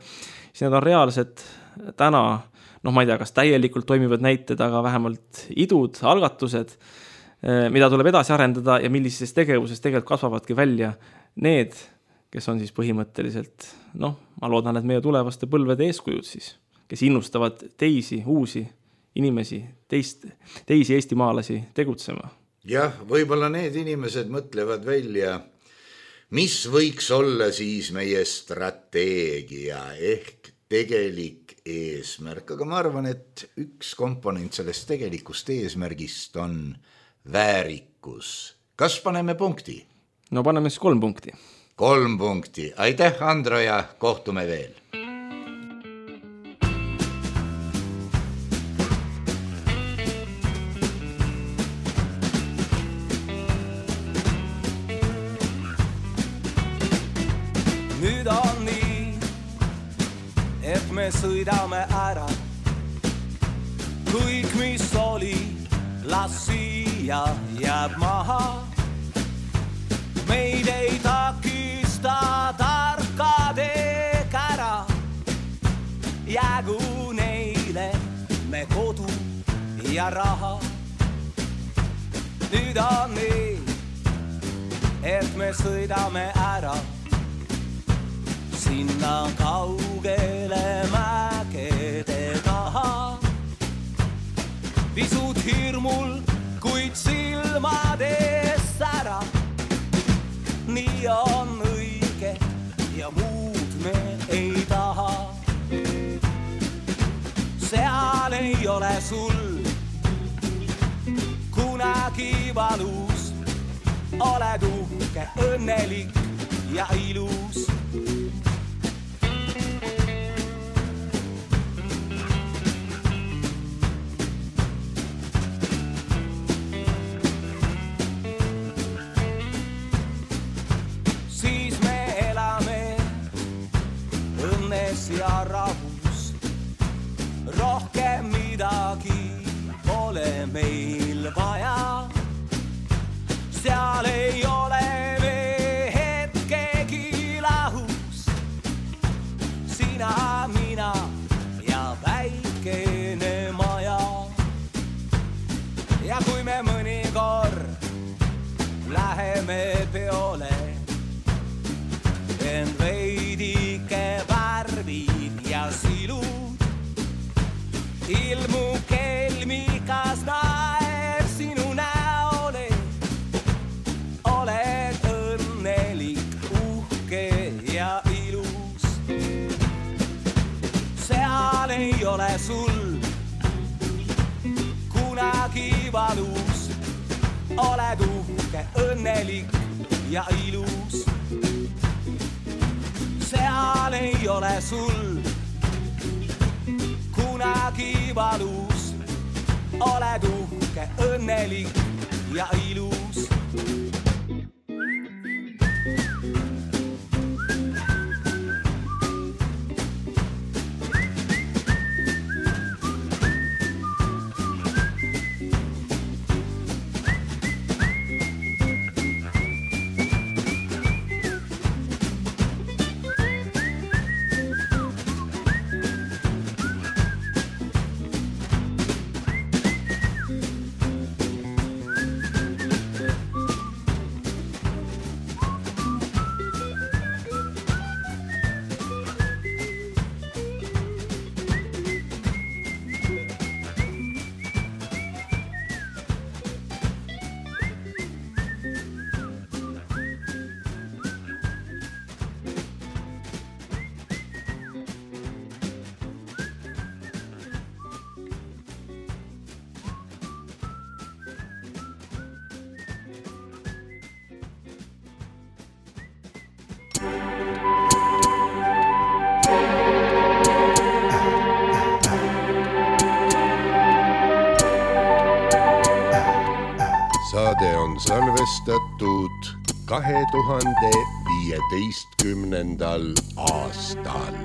siis need on reaalsed täna, noh ma ei tea, kas täielikult toimivad näited, aga vähemalt idud, algatused, mida tuleb edasi arendada ja millises tegevuses tegelikult kasvavadki välja need, kes on siis põhimõtteliselt, noh, ma loodan, et meie tulevaste põlvede eeskujud siis, kes innustavad teisi, uusi inimesi, teist, teisi eestimaalasi tegutsema. Jah, võib-olla need inimesed mõtlevad välja, mis võiks olla siis meie strateegia ehk tegelik eesmärk, aga ma arvan, et üks komponent sellest tegelikust eesmärgist on väärikus. Kas paneme punkti? No paneme siis kolm punkti. Kolm punkti. Aitäh, Andro, ja kohtume veel. Nüüd on nii, et me sõidame ära. Kõik, mis oli, las siia jääb maha. Meid ei takista tarkade kära. Jäägu neile me kodu ja raha. Nüüd on nii, et me sõidame ära. Sinna kaugele mägede taha. Pisut hirmul, kuid silmades ära. Nii on õige ja muud me ei taha. Seal ei ole sul kunagi valus. Oled uhke, õnnelik ja ilus. terves ja rahus. Rohkem midagi pole meil vaja. Seal ei ole me hetkegi lahus. Sina, mina ja väikene maja. Ja kui me mõnikord läheme peole, en veidike värvid ja silud, ilmu kelmikas naer sinu näole. Oled õnnelik, uhke ja ilus. Seal ei ole sul kunagi valus. Oled uhke, õnnelik ja ilus. Seal ei ole sul kunagi valus. Oled uhke, õnnelik ja ilus. Saade on salvestatud kahe tuhande viieteistkümnendal aastal.